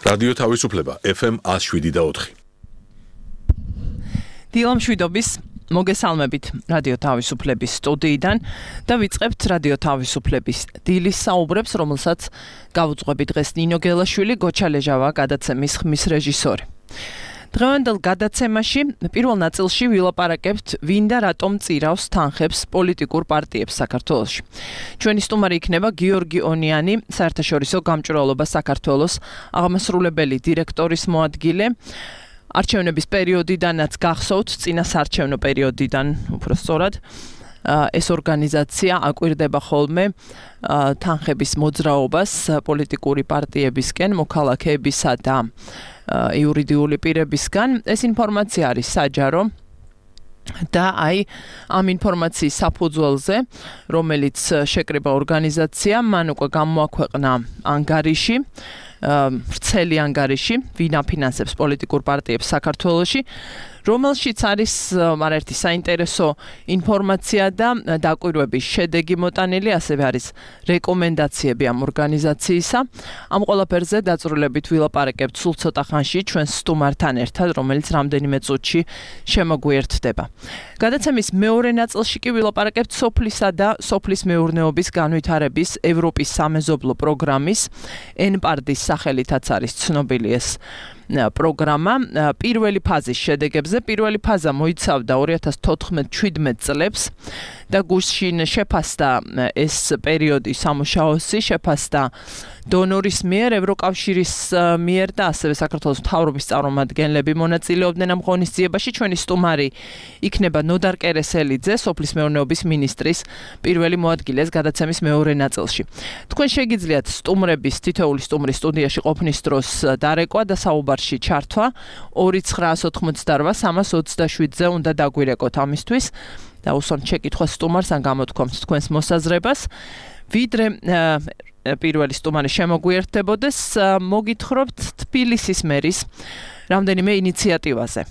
რადიო თავისუფლება FM 107.4. დილამშვიდობის მოგესალმებით რადიო თავისუფლების სტუდიიდან და ვიწყებთ რადიო თავისუფლების დილის საუბრებს, რომელსაც გავუძღვებით დღეს ნინო გელაშვილი, გოჩა ლეჟავა გადაცემის ხმის რეჟისორი. დღევანდელ გადაცემაში პირველ ნაწილში ვილაპარაკებთ ვინ და რატომ წირავს თანხებს პოლიტიკურ პარტიებს საქართველოში. ჩვენი სტუმარი იქნება გიორგი ონიანი, საერთაშორისო გამჭვირვალობა საქართველოს აღმასრულებელი დირექტორის მოადგილე. არჩევნების პერიოდიდანაც გახსოვთ, წინა საარჩევნო პერიოდიდან უფრო სწორად ეს ორგანიზაცია აკვირდება ხოლმე თანხების მოძრაობას პოლიტიკური პარტიებისკენ, მოქალაქეებისა და იურიდიული პირებისგან. ეს ინფორმაცია არის საჯარო და ამ ინფორმაციის საფუძველზე, რომელიც შეკრიბა ორგანიზაციამ, მან უკვე გამოაქვეყნა ანგარიში, ვრცელი ანგარიში, ვინ აფინანსებს პოლიტიკურ პარტიებს საქართველოში, რომელშიც არის არაერთი საინტერესო ინფორმაცია და დაკვირვების შედეგი მოტანილი, ასევე არის რეკომენდაციები ამ ორგანიზაციისა. ამ ყველაფერზე დაწვრილებით ვილაპარაკებთ სულ ცოტა ხანში ჩვენს სტუმართან ერთად, რომელიც რამდენიმე წუთში შემოგვიერთდება. გადაცემის მეორე ნაწილში კი ვილაპარაკებთ სოფლისა და სოფლის მეურნეობის განვითარების ევროპის სამეზობლო პროგრამის ENPARD-ის სახელითაც არის ცნობილი ეს პროგრამა. პირველი ფაზის შედეგებზე, პირველი ფაზა მოიცავდა 2014-17 წლებს და გუშინ შეფასდა ეს პერიოდი სამუშაოსი, შეფასდა დონორის მიერ, ევროკავშირის მიერ და ასევე საქართველოს მთავრობის წარმომადგენლები მონაწილეობდნენ ამ ღონისძიებაში. ჩვენი სტუმარი იქნება ნოდარ კერესელიძე, სოფლის მეურნეობის მინისტრის პირველი მოადგილე გადაცემის მეორე ნაწილში. თქვენ შეგიძლიათ სტუმრების, თითოეული სტუმრის სტუდიაში ყოფნის დროს დარეკვა და საუბარში ჩართვა 2988327-ზე უნდა დაგვირეკოთ ამისთვის და უსვამთ შეკითხვას სტუმარს ან გამოთქვამთ თქვენს მოსაზრებას. ვიდრე პირველი სტუმარი შემოგვიერთდებოდეს, მოგითხრობთ თბილისის მერის რამდენიმე ინიციატივაზე.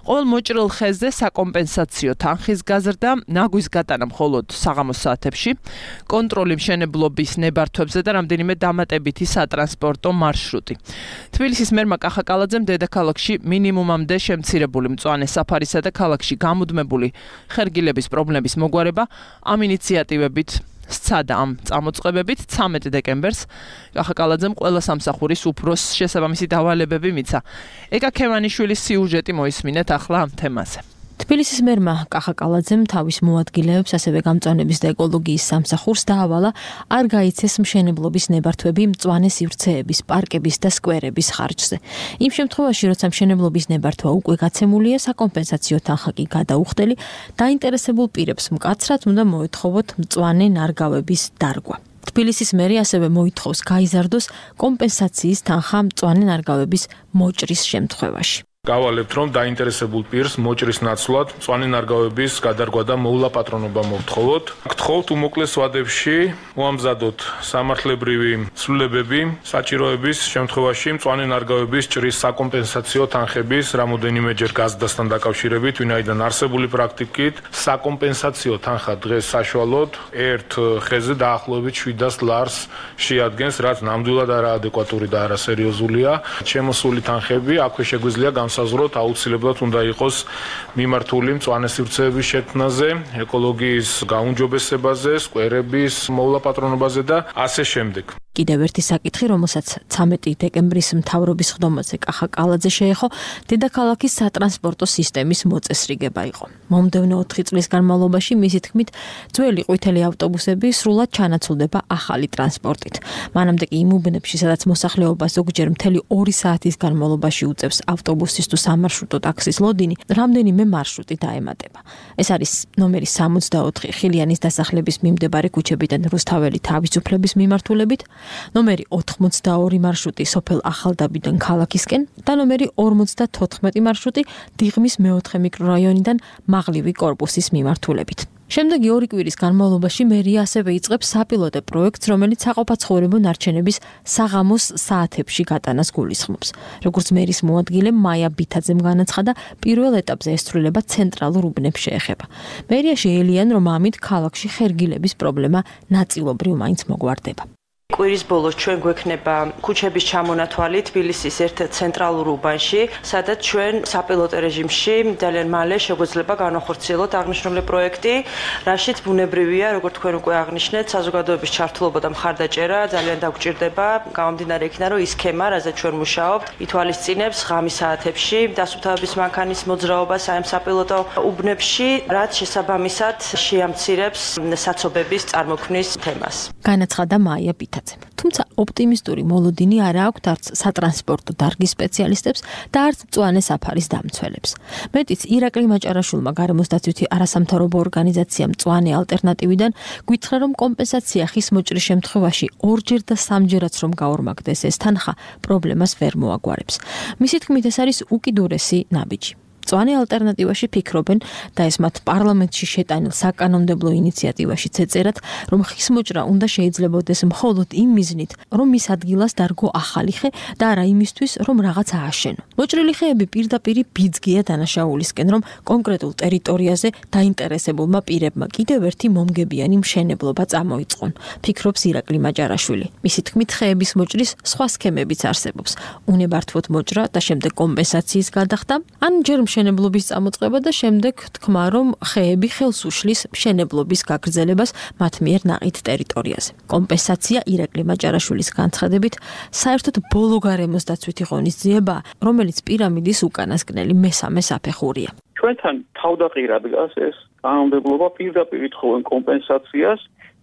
ყოველ მოჭრილ ხეზზე საკომპენსაციო თანხის გაზრდა, ნაგვის გატანა მხოლოდ საღამოს საათებში, კონტროლი მშენებლობის ნებართვებზე და რამდენიმე დამატებითი სატრანსპორტო მარშრუტი. თბილისის მერმა კახა კალაძემ დედაქალაქში მინიმუმამდე შემცირებული მწვანე საფარისა და ქალაქში გამუდმებული ხერგილების პრობლემების მოგვარება ამ ინიციატივებით სცადა ამ წამოწყებებით 13 დეკემბერს კახა კალაძემ ყველა სამსახურის უფროსს შესაბამისი დავალებები მიცა. ეკა ქევანიშვილის სიუჟეტი მოისმინეთ ახლა ამ თემაზე. თბილისის მერმა კახა კალაძემ თავის მოადგილეებს, ასევე გამწვანების და ეკოლოგიის სამსახურს დაავალა არ გაიცეს მშენებლობის ნებართვები მწვანე სივრცეების, პარკების და სკვერების ხარჯზე. იმ შემთხვევაში, როცა მშენებლობის ნებართვა უკვე გაცემულია, საკომპენსაციო თანხა კი გადაუხდელი, დაინტერესებულ პირებს მკაცრად უნდა მოეთხოვოთ მწვანე ნარგავების დარგვა. თბილისის მერი ასევე მოითხოვს გაიზარდოს კომპენსაციის თანხა მწვანე ნარგავების მოჭრის შემთხვევაში. გავალებთ, რომ დაინტერესებულ პირს მოჭრის ნაცვლად მწვანე ნარგავების გადარგვა და მოულაპატრონობა მოვთხოვოთ. გთხოვთ უმოკლეს ვადებში მოამზადოთ სამართლებრივი ცვლილებები საჭიროების შემთხვევაში მწვანე ნარგავების ჭრის საკომპენსაციო თანხების რამოდენიმეჯერ გაზრდასთან დაკავშირებით, ვინაიდან არსებული პრაქტიკით საკომპენსაციო თანხა დღეს საშუალოდ ერთ ხეზე დაახლოებით 700 ლარს შეადგენს, რაც ნამდვილად არაადეკვატური და არასერიოზულია. შემოსული თანხები აქვე შეგვიძლია განსაზღვროთ, აუცილებლად უნდა იყოს მიმართული მწვანე სივრცეების შექმნაზე, ეკოლოგიის გაუმჯობესებაზე, სკვერების მოულაპატრონობაზე და ასე შემდეგ. კიდევ ერთი საკითხი, რომელსაც 13 დეკემბრის მთავრობის ხდომაზე კახა კალაძე შეეხო, დედაქალაქის სატრანსპორტო სისტემის მოწესრიგება იყო. მომდევნო 4 წლის განმავლობაში, მისი თქმით, ძველი ყვითელი ავტობუსები სრულად ჩანაცვლდება ახალი ტრანსპორტით. მანამდე კი იმ უბნებში, სადაც მოსახლეობა ზოგჯერ მთელი 2 საათის განმავლობაში უწევს ავტობუსის თუ სამარშრუტო ტაქსის ლოდინი, რამდენიმე მარშრუტი დაემატება. ეს არის ნომერი 64 ხილიანის დასახლების მიმდებარე ქუჩებიდან რუსთაველი თავისუფლების მიმართულებით, ნომერი 82 მარშრუტი სოფელ ახალდაბიდან ქალაქისკენ და ნომერი 54 მარშრუტი დიღმის მეოთხე მიკრორაიონიდან მაღლივი კორპუსის მიმართულებით. შემდეგი 2 კვირის განმავლობაში მერია ასევე იწყებს საპილოტო პროექტს, რომელიც საყოფაცხოვრებო ნარჩენების საღამოს საათებში გატანას გულისხმობს. როგორც მერის მოადგილე მაია ბითაძემ განაცხადა, პირველ ეტაპზე ეს ცვლილება ცენტრალურ უბნებს შეეხება. მერია შეელიან, რომ ამით ქალაქში ხერგილების პრობლემა ნაწილობრივ მაინც მოგვარდება. კვირის ბოლოს ჩვენ გვექნება ქუჩების ჩამონათვალი თბილისის ერთ-ერთ ცენტრალურ უბანში, სადაც ჩვენ საპილოტო რეჟიმში ძალიან მალე შეგვეძლება განახორციელოთ აღნიშნული პროექტი, რაშიც ბუნებრივია, როგორც თქვენ უკვე აღნიშნეთ, საზოგადოების ჩართულობა და მხარდაჭერა ძალიან დაგვჭირდება, გამომდინარე იქიდან, რომ ის სქემა, რაზეც ჩვენ მუშაობთ, ითვალისწინებს ღამის საათებში დასუფთავების მანქანის მოძრაობას ამ საპილოტო უბნებში, რაც შესაბამისად შეამცირებს საცობების წარმოქმნის თემას. განაცხადა მაია პითაძემ. თუმცა ოპტიმისტური მოლოდინი არ აქვს არც სატრანსპორტო დარგის სპეციალისტებს და არც მწვანე საფარის დამცველებს. მეტიც ირაკლი მაჭარაშვილმა გარემოს დაცვითი არასამთავრობო ორგანიზაცია მწვანე ალტერნატივიდან გითხრა, რომ კომპენსაცია ხის მოჭრის შემთხვევაში ორჯერ და სამჯერაც რომ გაორმაგდეს ეს თანხა, პრობლემას ვერ მოაგვარებს. მისი თქმით, ეს არის უკიდურესი ნაბიჯი. მწვანე ალტერნატივაში ფიქრობენ და ეს მათ პარლამენტში შეტანილ საკანონმდებლო ინიციატივაში ეწერათ, რომ ხის მოჭრა უნდა შეიძლებოდეს მხოლოდ იმ მიზნით, რომ მის ადგილას დარგო ახალი ხე და არა იმისთვის, რომ რაღაც ააშენო. მოჭრილი ხეები პირდაპირ ბიძგია დანაშაულისკენ, რომ კონკრეტულ ტერიტორიაზე დაინტერესებულმა პირებმა კიდევ ერთი მომგებიანი მშენებლობა წამოიწყონ, ფიქრობს ირაკლი მაჭარაშვილი. მისი თქმით, ხეების მოჭრის სხვა სქემებიც არსებობს. უნებართვოდ მოჭრა და შემდეგ კომპენსაციის გადახდა, ან ჯერ მშენებლობის წამოწყება და შემდეგ თქმა, რომ ხეები ხელს უშლის მშენებლობის გაგრძელებას მათ მიერ ნაყიდ ტერიტორიაზე. კომპენსაცია ირაკლი მაჭარაშვილის განცხადებით საერთოდ ბოლო გარემოს დაცვითი ღონისძიებაა, რომელიც პირამიდის უკანასკნელი მესამე საფეხურია. ჩვენთან თავდაყირად დგას ეს კანონმდებლობა, პირდაპირ ითხოვენ კომპენსაციას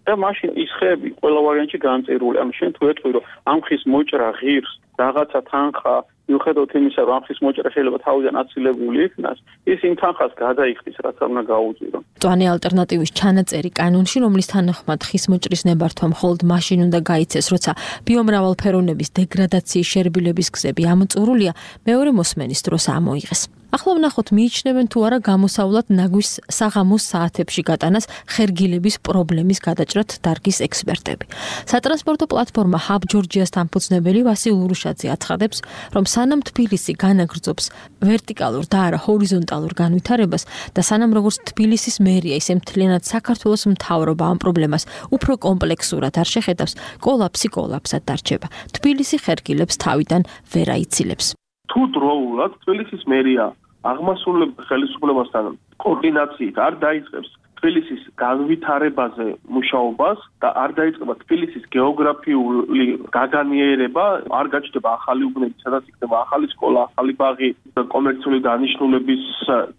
და მაშინ ის ხეები ყველა ვარიანტში განწერული. ანუ შენ თუ ეტყვი, რომ ამ ხის მოჭრა ღირს რაღაცა თანხა მიუხედავად იმისა, რომ ამ ხის მოჭრა შეიძლება თავიდან აცილებული იქნას, ის იმ თანხას გადაიხდის, რაც არ უნდა გაუწირო. მწვანე ალტერნატივის ჩანაწერი კანონში, რომლის თანახმად ხის მოჭრის ნებართვა მხოლოდ მაშინ უნდა გაიცეს, როცა ბიომრავალფეროვნების დეგრადაციის შერბილების გზები ამოწურულია, მეორე მოსმენის დროს ამოიღეს. ახლა ვნახოთ, მიიჩნევენ თუ არა გამოსავლად ნაგვის საღამოს საათებში გატანას ხერგილების პრობლემის გადაჭრად დარგის ექსპერტები. სატრანსპორტო პლატფორმა Hub Georgia-ს დამფუძნებელი ვასილ ურუშაძე აცხადებს, რომ სანამ თბილისი განაგრძობს ვერტიკალურ და არა ჰორიზონტალურ განვითარებას და სანამ როგორც თბილისის მერია, ისე მთლიანად საქართველოს მთავრობა ამ პრობლემას უფრო კომპლექსურად არ შეხედავს, კოლაფსი კოლაფსად დარჩება. თბილისი ხერგილებს თავიდან ვერ აიცილებს. თუ დროულად თბილისის მერია აღმასრულებელ ხელისუფლებასთან კოორდინაციით არ დაიწყებს თბილისის განვითარებაზე მუშაობას და არ დაიწყება თბილისის გეოგრაფიული გაგანიერება, არ გაჩნდება ახალი უბნები, სადაც იქნება ახალი სკოლა, ახალი ბაღი და კომერციული დანიშნულების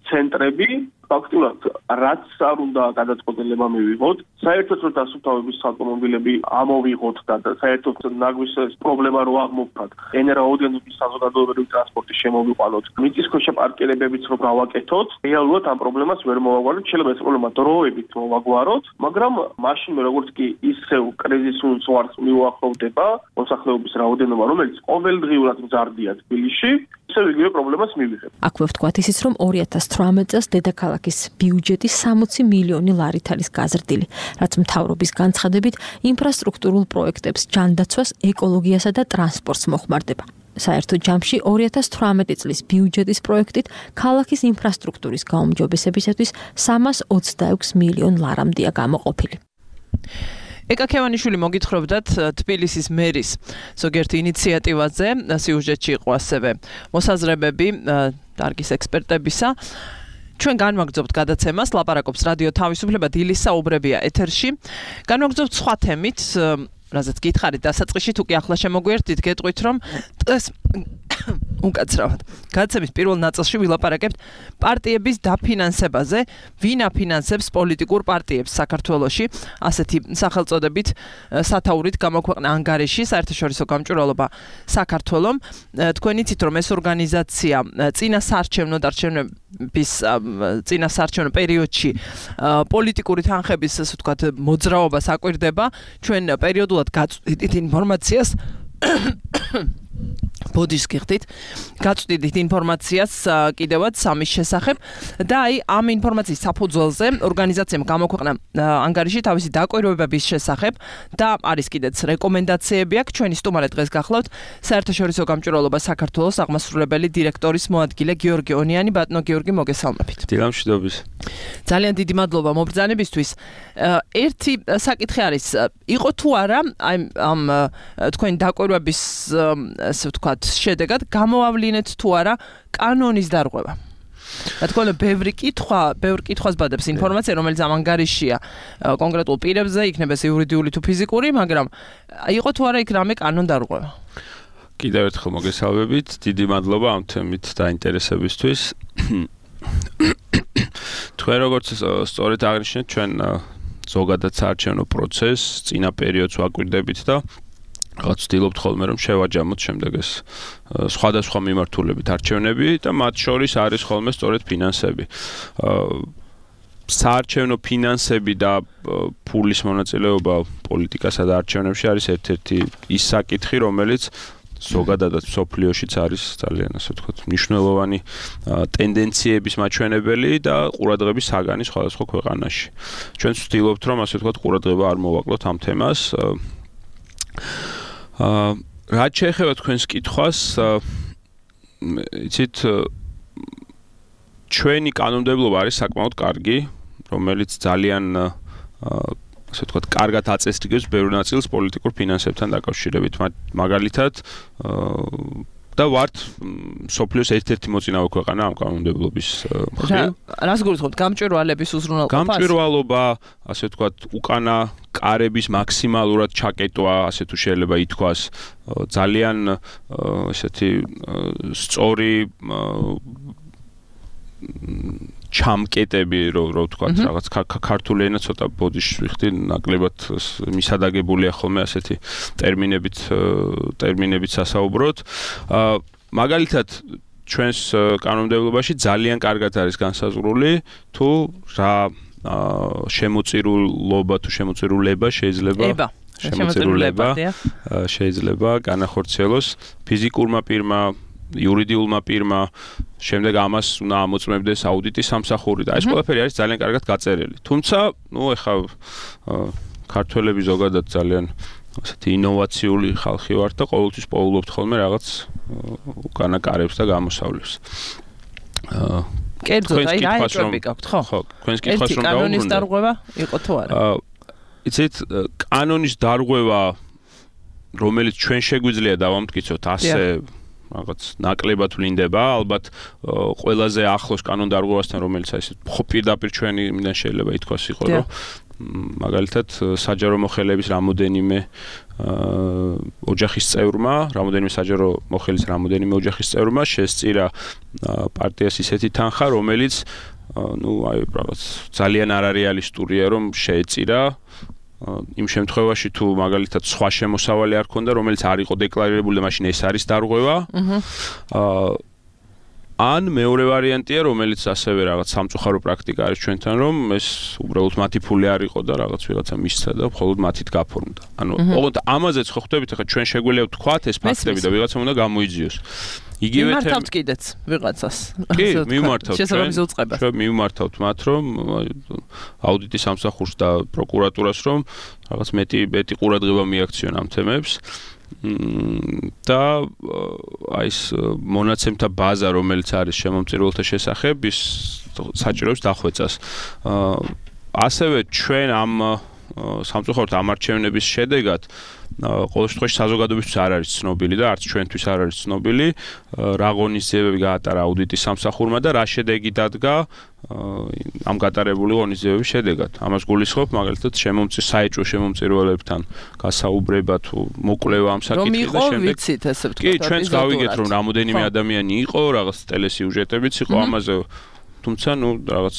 ცენტრები, ფაქტურად რაც არ უნდა გადაწყვეტილება მივიღოთ, საერთოდ რომ დასუფთავების ავტომობილები ამოვიღოთ და საერთოდ ნაგვის პრობლემა რო აღმოფხვრათ, ენერგოოდენობის საზოგადოებრივი ტრანსპორტი შემოვიყვანოთ, მიწისქვეშა პარკირებებიც რომ გავაკეთოთ, რეალურად ამ პრობლემას ვერ მოვაგვაროთ, შეიძლება ეს პრობლემა დროებით მოვაგვაროთ, მაგრამ მაშინვე როგორც კი ისევ კრიზისულ ზღვარს მიუახლოვდება მოსახლეობის რაოდენობა, რომელიც ყოველდღიურად მზარდია თბილისში, ისევ იგივე პრობლემას მივიღებთ. აქვე ვთქვათ ისიც, რომ 2018 წელს დედაქალაქის ბიუჯეტი 60 მილიონი ლარით არის გაზრდილი, რაც მთავრობის განცხადებით ინფრასტრუქტურულ პროექტებს, ჯანდაცვას, ეკოლოგიასა და ტრანსპორტს მოხმარდება. საერთო ჯამში 2018 წლის ბიუჯეტის პროექტით ქალაქის ინფრასტრუქტურის გაუმჯობესებისათვის 326 მილიონ ლარამდეა გამოყოფილი. ეკა ქევანიშვილი მოგითხრობდათ თბილისის მერის ზოგიერთ ინიციატივაზე, სიუჟეტში იყო ასევე მოსაზრებები დარგის ექსპერტებისა. ჩვენ განვაგრძობთ გადაცემას, ლაპარაკობს რადიო თავისუფლება, დილის საუბრებია ეთერში. განვაგრძობთ სხვა თემით, რაზეც გითხარით დასაწყისში, თუ კი ახლა შემოგვიერთდით, გეტყვით, რომ დღეს უკაცრავად გადაცემის პირველ ნაწილში ვილაპარაკებთ პარტიების დაფინანსებაზე, ვინ აფინანსებს პოლიტიკურ პარტიებს საქართველოში, ასეთი სახელწოდებით სათაურით გამოქვეყნა ანგარიში საერთაშორისო გამჭვირვალობა საქართველომ. თქვენ იცით, რომ ეს ორგანიზაცია წინასაარჩევნო პერიოდში პოლიტიკური თანხების, ასე ვთქვათ, მოძრაობას აკვირდება. ჩვენ პერიოდულად გაწვდით ინფორმაციას ბოდიშს გიხდით, გაწვდით ინფორმაციას კიდევაც სამის შესახებ და აი ამ ინფორმაციის საფუძველზე ორგანიზაციამ გამოქვეყნა ანგარიში თავისი დაკვირვებების შესახებ და არის კიდეც რეკომენდაციები აქვს. ჩვენი სტუმარი დღეს გახლავთ საერთაშორისო გამჭვირვალობა საქართველოს აღმასრულებელი დირექტორის მოადგილე გიორგი ონიანი. ბატონო გიორგი, მოგესალმებით. დილამშვიდობის. ძალიან დიდი მადლობა მობრძანებისთვის. ერთი საკითხი არის, იყო თუ არა აი ამ თქვენი დაკვირვების ასე ვთქვათ შედეგად გამოავლინეთ თუ არა კანონის დარღვევა. რა თქმა უნდა, ბევრი კითხვას ბადებს ინფორმაცია, რომელიც ამ ანგარიშია კონკრეტულ პირებზე, იქნება ეს იურიდიული თუ ფიზიკური, მაგრამ იყო თუ არა იქ რამე კანონ დარღვევა. კიდევ ერთხელ მოგესალმებით. დიდი მადლობა ამ თემით დაინტერესებისთვის. თქვენ როგორც სწორედ აღნიშნეთ, ჩვენ ზოგადად საარჩევნო პროცესს წინა პერიოდს ვაკვირდებით და რაღაც ვცდილობთ ხოლმე რომ შევაჯამოთ შემდეგ ეს სხვადასხვა მიმართულებით არჩევნები და მათ შორის არის ხოლმე სწორედ ფინანსები. საარჩევნო ფინანსები და ფულის მონაწილეობა პოლიტიკასა და არჩევნებში არის ერთ-ერთი ის საკითხი, რომელიც ზოგადადად მსოფლიოშიც არის ძალიან ასე ვთქვათ მნიშვნელოვანი ტენდენციების მაჩვენებელი და ყურადღების საგანი სხვადასხვა ქვეყანაში. ჩვენ ვცდილობთ რომ ასე ვთქვათ ყურადღება არ მოვაკლოთ ამ თემას. რაც შეეხება თქვენს კითხვას, იცით, ჩვენი კანონმდებლობა არის საკმაოდ კარგი, რომელიც ძალიან ასე ვთქვათ, კარგად აწესრიგებს ბევრ ნაწილს პოლიტიკურ ფინანსებთან დაკავშირებით. მაგალითად, და ვართ სოფლიოს ერთ-ერთი მოწინავე ქვეყანა ამ კანონმდებლობის მხრივ. რას გულისხმობთ? გამჭვირვალების უზრუნველყოფას? გამჭვირვალობა, ასე ვთქვათ, უკანა კარების მაქსიმალურად ჩაკეტვა, ასე თუ შეიძლება ითქვას, ძალიან ესეთი სწორი ჩამკეტები, რო ვთქვათ, რაღაც ქართული ენა ცოტა ბოდიშს ვიხდი, ნაკლებად მისადაგებულია ხოლმე ასეთი ტერმინებით სასაუბროთ. მაგალითად, ჩვენს კანონმდებლობაში ძალიან კარგად არის განსაზღვრული თუ რა შემოწირულობა თუ შემოწირულება შეიძლება განახორციელოს ფიზიკურმა პირმა, იურიდიულმა პირმა, შემდეგ ამას უნდა ამოწმებდეს აუდიტის სამსახური და ეს ყველაფერი არის ძალიან კარგად გაწერილი. თუმცა, ეხლა ქართველები ზოგადად ძალიან ასეთი ინოვაციული ხალხი ვართ და ყოველთვის პოულობთ ხოლმე რაღაც უკანა კარებს და გამოსავლებს. კერძოდ, აი რა ეჭვები გაქვთ, ხო? ხო, თქვენს კითხვას რომ დავუბრუნდე. კანონის დარღვევა იყო თუ არა? იცით, კანონის დარღვევა, რომელიც ჩვენ შეგვიძლია დავამტკიცოთ ასე რაღაც ნაკლებად ვლინდება, ალბათ ყველაზე ახლოს კანონ დარღვევასთან, რომელიც აი ესე პირდაპირ ჩვენიდან შეიძლება ითქვას იყო, რომ მაგალითად საჯარო მოხელეების რამოდენიმე ოჯახის წევრმა, რამოდენიმე საჯარო მოხელის რამოდენიმე ოჯახის წევრმა შესწირა პარტიას ისეთი თანხა, რომელიც აი რაღაც ძალიან არარეალისტურია, რომ შეეწირა იმ შემთხვევაში თუ მაგალითად სხვა შემოსავალი არ ქონდა, რომელიც არ იყო დეკლარირებული და მაშინ ეს არის დარღვევა. ან მეორე ვარიანტია, რომელიც ასევე რაღაც სამწუხარო პრაქტიკა არის ჩვენთან, რომ ეს უბრალოდ მათი ფული არ იყო და რაღაც ვიღაცა მისცა და მხოლოდ მათით გაფორმდა. ანუ ოღონდ ამაზეც ხო ხვდებით, ახლა ჩვენ შეგვიძლია ვთქვათ ეს ფაქტები და ვიღაცამ უნდა გამოიძიოს. იგივე მიმართავთ კიდეც ვიღაცას. კი, მიმართავთ. შესაბამის უწყებას. ჩვენ მიმართავთ მათ, რომ აუდიტის სამსახურს და პროკურატურას, რომ რაღაც მეტი ყურადღება მიაქციონ ამ თემებს. და აი ეს მონაცემთა ბაზა, რომელიც არის შემომწირულთა შესახებ, ის საჭიროებს დახვეწას. ასევე ჩვენ ამ სამწუხაროდ ამ არჩევნების შედეგად ყოველ შემთხვევაში საზოგადოებისთვის არ არის ცნობილი და არც ჩვენთვის არ არის ცნობილი რა ღონისძიებები გაატარა აუდიტის სამსახურმა და რა შედეგი დადგა ამ გატარებული ღონისძიებების შედეგად. ამას გულისხმობ მაგალითად საეჭვო შემომწირულებთან გასაუბრება თუ მოკვლევა ამ საკითხის და შემდეგ. ვიცით ესე ვთქვათ. კი, ჩვენც გავიგეთ რომ რამოდენიმე ადამიანი იყო, რაღაც ტელესიუჟეტებიც იყო ამაზე. თუმცა რაღაც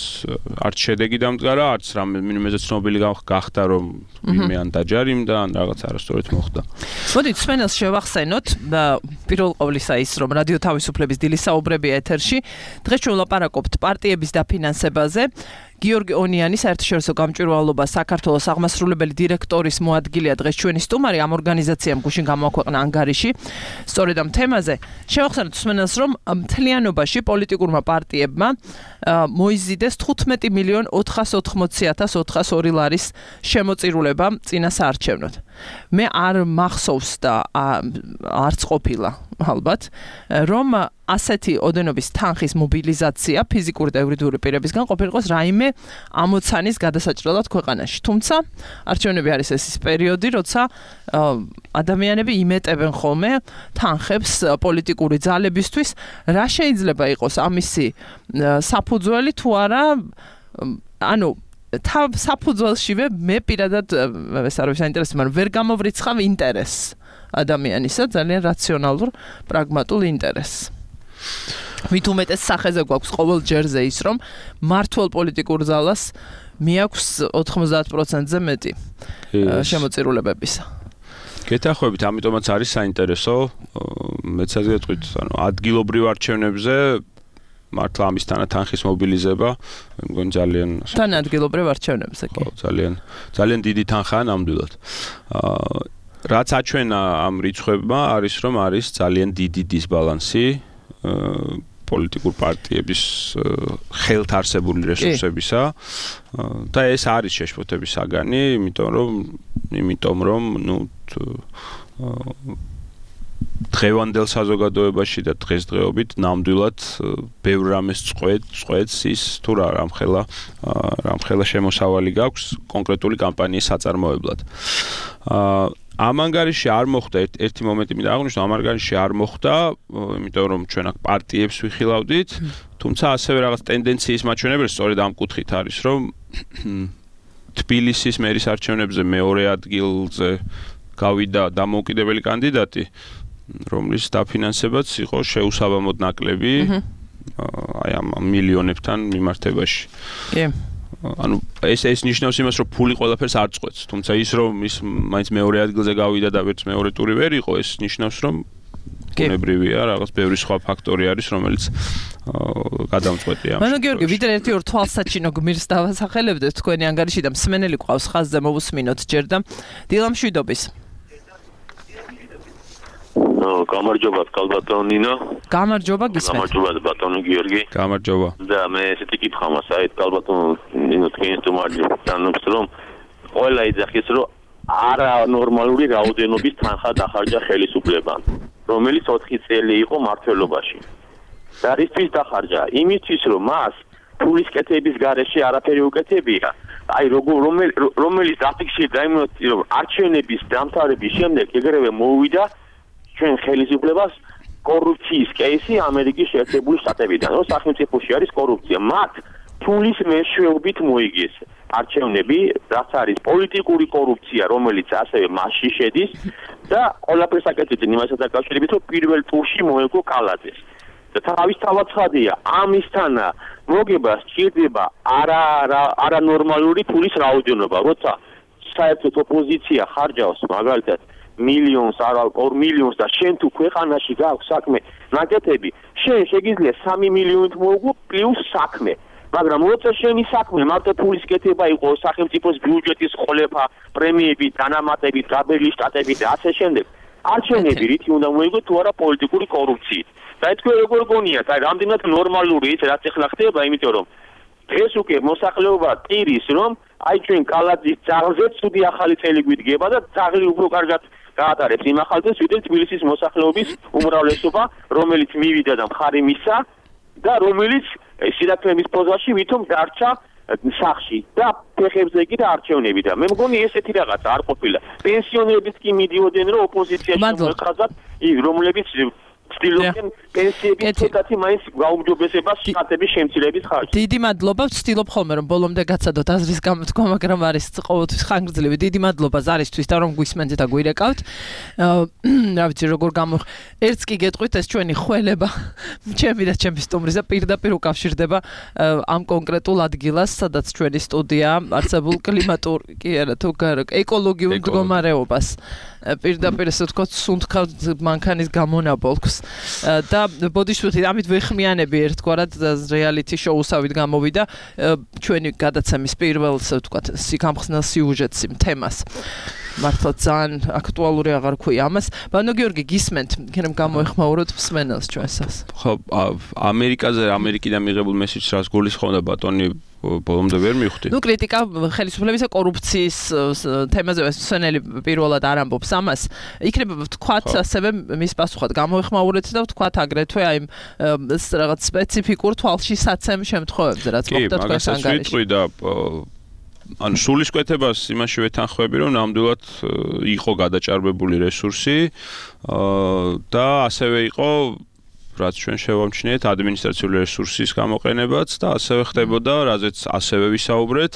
არც შედეგი დამდგარა, არც რამე ცნობილი გახდა რომ ვინმე ან დაჯარიმდა ან რაღაც არასწორად მოხდა. მოდით სვენელს შევახსენოთ, პირველ ყოვლისა ის რომ რადიო თავისუფლების დილის საუბრები ეთერში. დღეს ჩვენ ვლაპარაკობთ პარტიების დაფინანსებაზე. გიორგი ონიანი საერთაშორისო გამჭვირვალობა საქართველოს აღმასრულებელი დირექტორის მოადგილეა დღეს ჩვენი სტუმარი ამ ორგანიზაციამ გუშინ გამოაქვეყნა ანგარიში სწორედ ამ თემაზე შევახსენოთ მსმენელს რომ მთლიანობაში პოლიტიკურმა პარტიებმა მოიზიდეს 15,480,402 ლარის შემოწირულება წინა საარჩევნოდ მე არ მახსოვს და არც ყოფილა ალბათ რომ ასეთი ოდენობის თანხის მობილიზაცია ფიზიკური და იურიდიული პირებისგან ყოფილიყოს რაიმე ამოცანის გადასაჭრელად ქვეყანაში. თუმცა არჩევნები არის ეს პერიოდი, როცა ადამიანები იმეტებენ ხოლმე თანხებს პოლიტიკური ძალებისთვის, რა შეიძლება იყოს ამისი საფუძველი თუ არა, ანუ საფუძველშივე მე პირადად ეს არის საინტერესო, მაგრამ ვერ გამოვრიცხავ ინტერესს ადამიანისა, ძალიან რაციონალურ, პრაგმატულ ინტერესს. მით უმეტეს სახეზე გვაქვს ყოველ ჯერზე ის რომ მართლ პოლიტიკურ ძალას მიაქვს 90%-ზე მეტი შემოწირულებებისა. გეთანხმებით, ამიტომაც არის საინტერესო, მეც ასე გეტყვით, ანუ ადგილობრივ არჩევნებზე მართლა ამისთანა თანხის მობილიზება, მე მგონი ძალიან თან ადგილობრივ არჩევნებზე კი. ხო, ძალიან დიდი თანხაა ნამდვილად. რაც აჩვენა ამ რიცხვებმა არის რომ არის ძალიან დიდი დისბალანსი პოლიტიკურ პარტიების ხელთ არსებული რესურსებისა და ეს არის შეშფოთების საგანი, იმიტომ რომ დღევანდელ საზოგადოებაში და დღესდღეობით ნამდვილად ბევრ რამეს წყვეტს ის თუ რა რამხელა შემოსავალი გაქვს კონკრეტული კამპანიის საწარმოებლად. ამ ანგარიში არ მოხდა ერთი მომენტი მინდა აღვნიშნო, ამ ანგარიში არ მოხდა, იმიტომ რომ ჩვენ აქ პარტიებს ვიხილავდით, თუმცა ასევე რაღაც ტენდენციის მაჩვენებელი სწორედ ამ კუთხით არის, რომ თბილისის მერის არჩევნებზე მეორე ადგილზე გავიდა დამოუკიდებელი კანდიდატი, რომლის დაფინანსებაც იყო შეუსაბამოდ ნაკლები აი ამ მილიონებთან მიმართებაში. კი. ანუ ეს ნიშნავს იმას, რომ ფული ყველაფერს არ წყვეტს, თუმცა ის რომ ის მაინც მეორე ადგილზე გავიდა და ვერც მეორე ტური ვერ იყო, ეს ნიშნავს რომ ბუნებრივია, რაღაც ბევრი სხვა ფაქტორი არის, რომელიც გადამწყვეტია. მანო გიორგი, ვიდრე ერთი-ორ თვალსაჩინო გმირს დავასახელებდეთ თქვენი ანგარიში და მსმენელი ყავს ხაზზე მოვუსმინოთ ჯერ და დილამშვიდობის. გამარჯობა კალბატონ ნინო. გამარჯობა გისმენთ. გამარჯობა ბატონო გიორგი. გამარჯობა. და მე ესეთი კითხვა მაქვს, აი კალბატონ ნინო თქვენ სტუმარი თანობს რომ ყველა იძახის რომ არანორმალური რაოდენობის თანხა დახარჯა ხელისუფლებამ, რომელიც 4 წელი იყო მმართველობაში. და რისთვის დახარჯა? იმისთვის რომ მას ფულის კეთების გარეშე არაფერი უკეთებია. აი რომელიც დაფიქსი დაიმოწი რომ არჩევნების დამთავრების შემდეგ ეგრევე მოუვიდა ჩვენ ხელისუფლებას კორუფციის კეისი ამერიკის შეერთებული შტატებიდან, რომ სახელმწიფოში არის კორუფცია. მათ ფულის მეშვეობით მოიგეს არჩევნები, რაც არის პოლიტიკური კორუფცია, რომელიც ასევე მასში შედის და ყველაფერს აკეთებდნენ იმასთან დაკავშირებით, რომ პირველ ტურში მოეგო კალაძეს. და თავისთავად ცხადია, ამისთანა მოგება სჭირდება არანორმალური ფულის რაოდენობა, როცა საერთოდ ოპოზიცია ხარჯავს მაგალითად მილიონს, არა 2 მილიონს და შენ თუ ქვეყანაში გაქვს საქმე ნაკეთები, შენ შეგიძლია 3 მილიონით მოუგო პლუს საქმე. მაგრამ როცა შენი საქმე მარტო ფულის კეთება იყო, სახელმწიფოს ბიუჯეტის ყოლება, პრემიები, დანამატები, დაბელი შტატები და ასე შემდეგ, არჩევნები რითი უნდა მოიგო თუ არა პოლიტიკური კორუფციით. და თქვენ როგორ გონიათ, აი რამდენად ნორმალური ის რაც ახლა ხდება, იმიტომ რომ ეს უკვე მოსახლეობა ტირის რომ აი ჩვენ კალაძის ძაღლზე ცუდი ახალი წელი გვიდგება და ძაღლი უფრო კარგად გაატარებს იმ ახალწელს, ვიდრე თბილისის მოსახლეობის უმრავლესობა, რომელიც მივიდა და მხარი მისცა და რომელიც სირაქლემის პოზაში ვითომ დარჩა სახში და ფეხებზე კი და არჩევნები და მე მგონი ესეთი რაღაცა არ ყოფილა. პენსიონერებიც კი მიდიოდნენ რომ ოპოზიციაში მოეყრაზათ, რომლებიც ცდილობენ პენსიების ცოტათი მაინც გაუმჯობესებას შტატების შემცირების ხარჯზე. დიდი მადლობა, ვცდილობ ხოლმე რომ ბოლომდე გაცადოთ აზრის გამოთქვა, მაგრამ არის ყოველთვის ხანგრძლივი. დიდი მადლობა ზარისთვის და რომ გვისმენთ და გვირეკავთ. რა ვიცი როგორ ერთს კი გეტყვით ეს ჩვენი ხველება, ჩემი და ჩემი სტუმრისა პირდაპირ უკავშირდება ამ კონკრეტულ ადგილას, სადაც ჩვენი სტუდია არსებულ კლიმატურ კი არა თუ ეკოლოგიურ მდგომარეობას პირდაპირ ესე ვთქვათ, სუნთქავთ მანქანის გამონაბოლქვს და ბოდიშვილი ამით ვეხმიანები ერთგვარად რეალიტი შოუსავით გამოვიდა ჩვენი გადაცემის პირველ ესე ვთქვათ, გამხსნელ სიუჟეტს იმ თემას. მართლა ძალიან აქტუალური აღარ ქვია ამას. ბანო გიორგი გისმენთ, იქნებ გამოეხმაუროთ მსმენელს ჩვენსას. ხო, ამერიკიდან მიღებულ მესიჯს რას გულისხმობდა ბატონი ბოლომდე ვერ მივხვდი. ნუ კრიტიკა ხელისუფლებისა კორუფციის თემაზე მსმენელი პირველად არ ამბობს ამას. იქნება ვთქვათ ასევე მის პასუხად გამოეხმაურეთ და ვთქვათ აგრეთვე აი რაღაც სპეციფიკურ თვალში საცემ შემთხვევებზე რაც მოხდა თქვენს ანგარიში. ანუ სულისკვეთებას იმაში ვეთანხმები, რომ ნამდვილად იყო გადაჭარბებული რესურსი და ასევე იყო რაც ჩვენ შევამჩნიეთ ადმინისტრაციული რესურსის გამოყენებაც და ასევე ხდებოდა, რაზეც ასევე ვისაუბრეთ,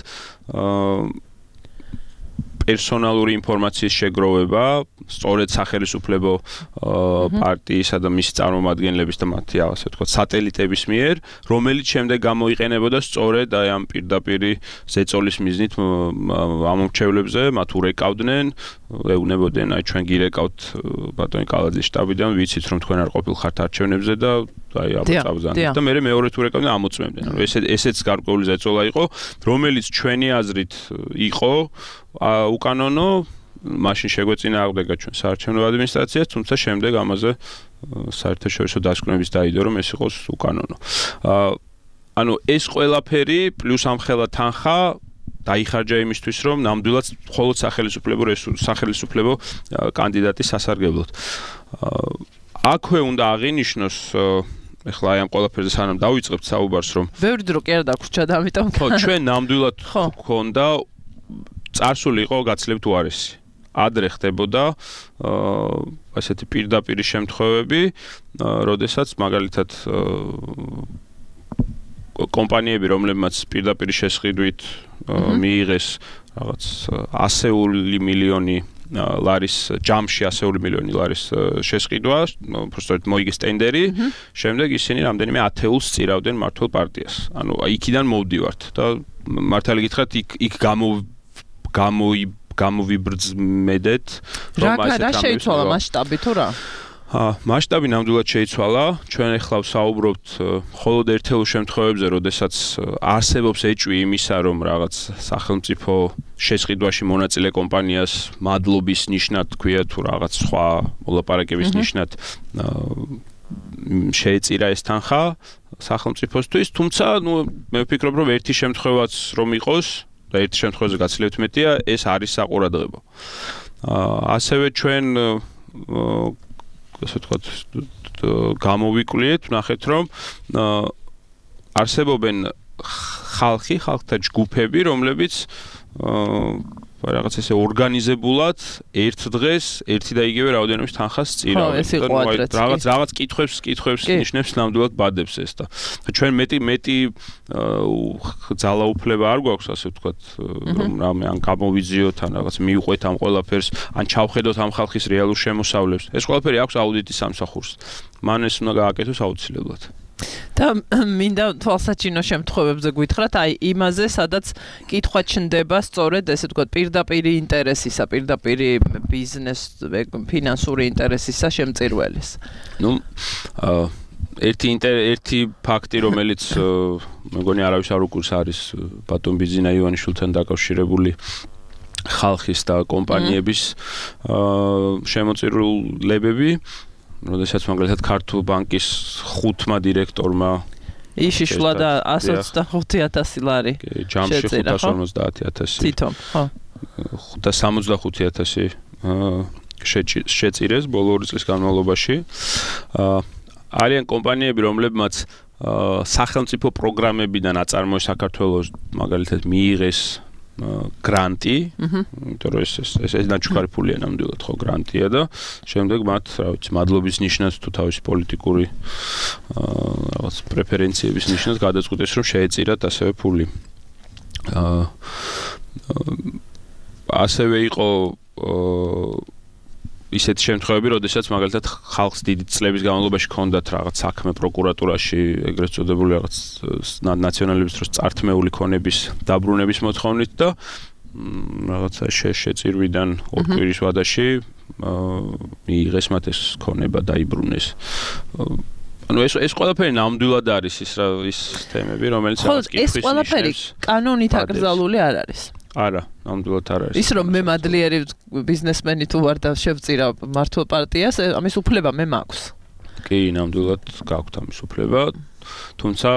პერსონალური ინფორმაციის შეგროვება, სწორედ სახელმწიფო პარტიისა და მის წარმომადგენლების და მათი ასე ვთქვათ, სატელიტების მიერ, რომელიც შემდეგ გამოიყენებოდა სწორედ აი ამ პირდაპირი ზეწოლის მიზნით ამომრჩევლებზე, მათ ურეკავდნენ, ეუბნებოდნენ, აი ჩვენ გირეკავთ ბატონი კალაძის შტაბიდან, ვიცით რომ თქვენ არ ყოფილხართ არჩევნებზე და აი აბრძანეთ და მე მეორედ ურეკავდნენ, ამოწმებდნენ. ანუ ესეც გარკვეული ზეწოლა იყო, რომელიც ჩვენი აზრით იყო უკანონო, მაშინ შეგვეწინააღმდეგა ჩვენ საარჩევნო ადმინისტრაციას, თუმცა შემდეგ ამაზე საერთაშორისო დასკვნების დაიდო, რომ ეს იყოს უკანონო. ანუ ეს ყველაფერი პლუს ამხელა თანხა დაიხარჯა იმისთვის, რომ ნამდვილად მხოლოდ სახელმწიფო კანდიდატი სასარგებლოდ. აქვე უნდა აღინიშნოს ეხლა აი ამ ყველაფერზე სანამ დავიწყებთ საუბარს, რომ ბევრი დრო კი არ დაგვრჩა და ამიტომ ხო, ჩვენ ნამდვილად გვქონდა წარსული იყო გაცილებით უარესი. ადრე ხდებოდა ასეთი პირდაპირი შემთხვევები, როდესაც მაგალითად კომპანიები, რომლებმაც პირდაპირი შესყიდვით მიიღეს რაღაც 100 მილიონი ლარის ჯამში 100 მილიონი ლარის შესყიდვა, უბრალოდ მოიგეს ტენდერი, შემდეგ ისინი რამდენიმე ათეულს წირავდნენ მართლ პარტიას. ანუ იქიდან მოვდივართ და მართალი გითხრათ, იქ გამოვიბრძმედეთ, რომ რა შეიცვალა მასშტაბი თუ რა? მასშტაბი ნამდვილად შეიცვალა. ჩვენ ახლა ვსაუბრობთ მხოლოდ ერთეულ შემთხვევებზე, როდესაც არსებობს ეჭვი იმისა, რომ რაღაც სახელმწიფო შესყიდვაში მონაწილე კომპანიას მადლობის ნიშნად თქვია თუ რაღაც სხვა მოლაპარაკების ნიშნად შეეწირა ეს თანხა სახელმწიფოსთვის, თუმცა ნუ მე ვფიქრობ, რომ ერთი შემთხვევაც რომ იყოს და ერთ შემთხვევაზე გაცილებით მეტია, ეს არის საყურადღებო. ასევე ჩვენ ასე ვთქვათ, გამოვიკვლიეთ, ვნახეთ, რომ არსებობენ ხალხთა ჯგუფები, რომლებიც რაღაც ესე ორგანიზებულად ერთ დღეს ერთი და იგივე რაოდენობის თანხას წირავენ. რაღაც კითხვებს ნიშნებს ნამდვილად ბადებს ეს და ჩვენ მეტი ძალაუფლება არ გვაქვს, ასე ვთქვათ, რომ რამე ან გამოვიძიოთ, ან რაღაც მივყვეთ ამ ყველაფერს, ან ჩავხედოთ ამ ხალხის რეალურ შემოსავლებს. ეს ყველაფერი აქვს აუდიტის სამსახურს. მან ეს უნდა გააკეთოს აუცილებლად. და მინდა თვალსაჩინო შემთხვევებზე გითხრათ, აი იმაზე, სადაც კითხვა ჩნდება სწორედ ესე ვთქვათ, პირდაპირი ინტერესისა, პირდაპირი ბიზნეს, ფინანსური ინტერესისა შემწირველის. ნუ ერთი ფაქტი, რომელიც მეგონი არავის არ უყურს, არის ბატონ ბიზინა ივანიშვილთან დაკავშირებული ხალხის და კომპანიების შემოწირულებები. როდესაც მაგალითად ქართულ ბანკის 5 დირექტორმა იშიშლა და 125,000 ლარი ჯამში 550,000 თვითონ, ხო. 575,000 შეწირეს ბოლო 2 წლის განმავლობაში. არიან კომპანიები, რომლებმაც სახელმწიფო პროგრამებიდან აწარმოეს საქართველოს მაგალითად მიიღეს გრანტი, იმიტომ რომ ეს ნაჩუქარი ფულია ნამდვილად ხო გრანტია და შემდეგ მათ, რა ვიცი, მადლობის ნიშნად თუ თავისი პოლიტიკური რაღაც პრეფერენციების ნიშნად გადაწყვიტეს, რომ შეეწირათ ასევე ფული. ასევე იყო ისეთი შემთხვევები, როდესაც მაგალითად ხალხს დიდი წლების განმავლობაში ჰქონდათ რაღაც საქმე პროკურატურაში, ეგრეთ წოდებული რაღაც ნაციონალების დროს წართმეული ქონების დაბრუნების მოთხოვნით და რაღაცა შეწირვიდან ორ კვირის ვადაში მიიღეს მათ ეს ქონება დაიბრუნეს. ანუ ეს ყველაფერი ნამდვილად არის ის თემები, რომელიც რაღაც კითხვის ნიშნებს. ეს ყველაფერი კანონით აკრძალული არ არის. არა, ნამდვილად არ არის. ის რომ მე მადლიერი ბიზნესმენი თუ ვარ და შევწირა მართლ პარტიას, ამის უფლება მე მაქვს. კი, ნამდვილად გაქვთ ამის უფლება. თუმცა,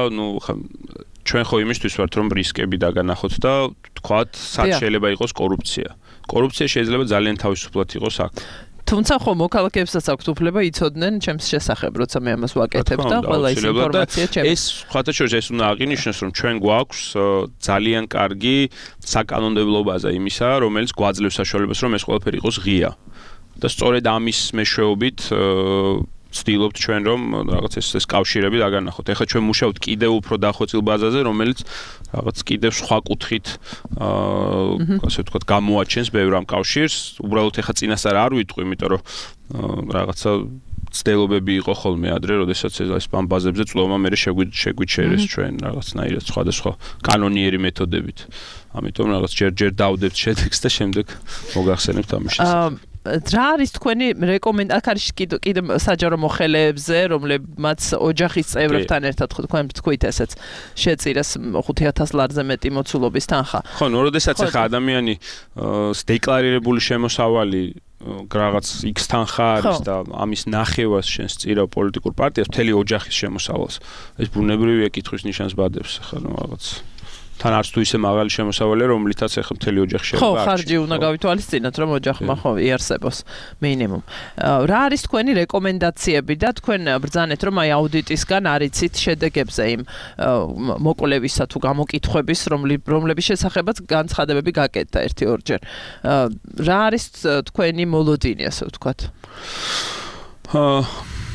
ჩვენ ხო იმისთვის ვართ, რომ რისკები დაგანახოთ და თქვათ, სად შეიძლება იყოს კორუფცია. კორუფცია შეიძლება ძალიან თავისუფლად იყოს აქ. თუმცა ხო მოქალაქეებსაც აქვთ უფლება იცოდნენ ჩემს შესახებ, როცა მე ამას ვაკეთებ და ყველა ის ინფორმაცია ჩემს. ეს ხათა შორის ეს უნდა აღინიშნოს, რომ ჩვენ გვაქვს ძალიან კარგი საკანონმდებლობაზე იმისა, რომელიც გვაძლევს საშუალებას, რომ ეს ყველაფერი იყოს ღია. და სწორედ ამის მეშვეობით ვცდილობთ ჩვენ რომ რაღაც ეს კავშირები დაგანახოთ. ეხლა ჩვენ მუშაობთ კიდევ უფრო დახვეწილ ბაზაზე, რომელიც რაღაც კიდევ სხვა კუთხით ასე ვთქვათ გამოაჩენს ბევრ ამ კავშირს. უბრალოდ ეხლა წინასწარ არ ვიტყვი, იმიტომ რომ რაღაცა ცდილობები იყო ხოლმე ადრე, როდესაც ეს ამ ბაზებზე წლოვმა მე შეგვიჩერეს ჩვენ რაღაცნაირად სხვადასხვა კანონიერი მეთოდებით. ამიტომ რაღაც ჯერ დავდებთ შედეგს და შემდეგ მოგახსენებთ ამის შესახებ. რა არის თქვენი რეკომენდაცია? აქ არის კიდე საჯარო მოხელეებზე, რომლებმაც ოჯახის წევრებთან ერთად თქვენ თქვით ესეც შეწირეს 5000 ლარზე მეტი მოცულობის თანხა. ხო, როდესაც ახლა ადამიანი დეკლარირებული შემოსავალი რაღაც X თანხა არის და ამის ნახევარს შენ სწირავ პოლიტიკურ პარტიას, მთელი ოჯახის შემოსავალს. ეს ბუნებრივია კითხვის ნიშანს ბადებს ახლა რაღაც თან არც თუ ისე მაღალი შემოსავალია, რომლითაც ახლა მთელი ოჯახი შეიძლება. ხო, ხარჯი უნდა გავითვალისწინოთ, რომ ოჯახმა ხო იარსებოს მინიმუმ. რა არის თქვენი რეკომენდაციები და თქვენ ბრძანეთ, რომ აი აუდიტისგან არიცით შედეგებზე იმ მოკვლევისა თუ გამოკითხვების, რომლების შესახებაც განცხადებები გაკეთდა 1-2 ჯერ. რა არის თქვენი მოლოდინი, ასე ვთქვათ?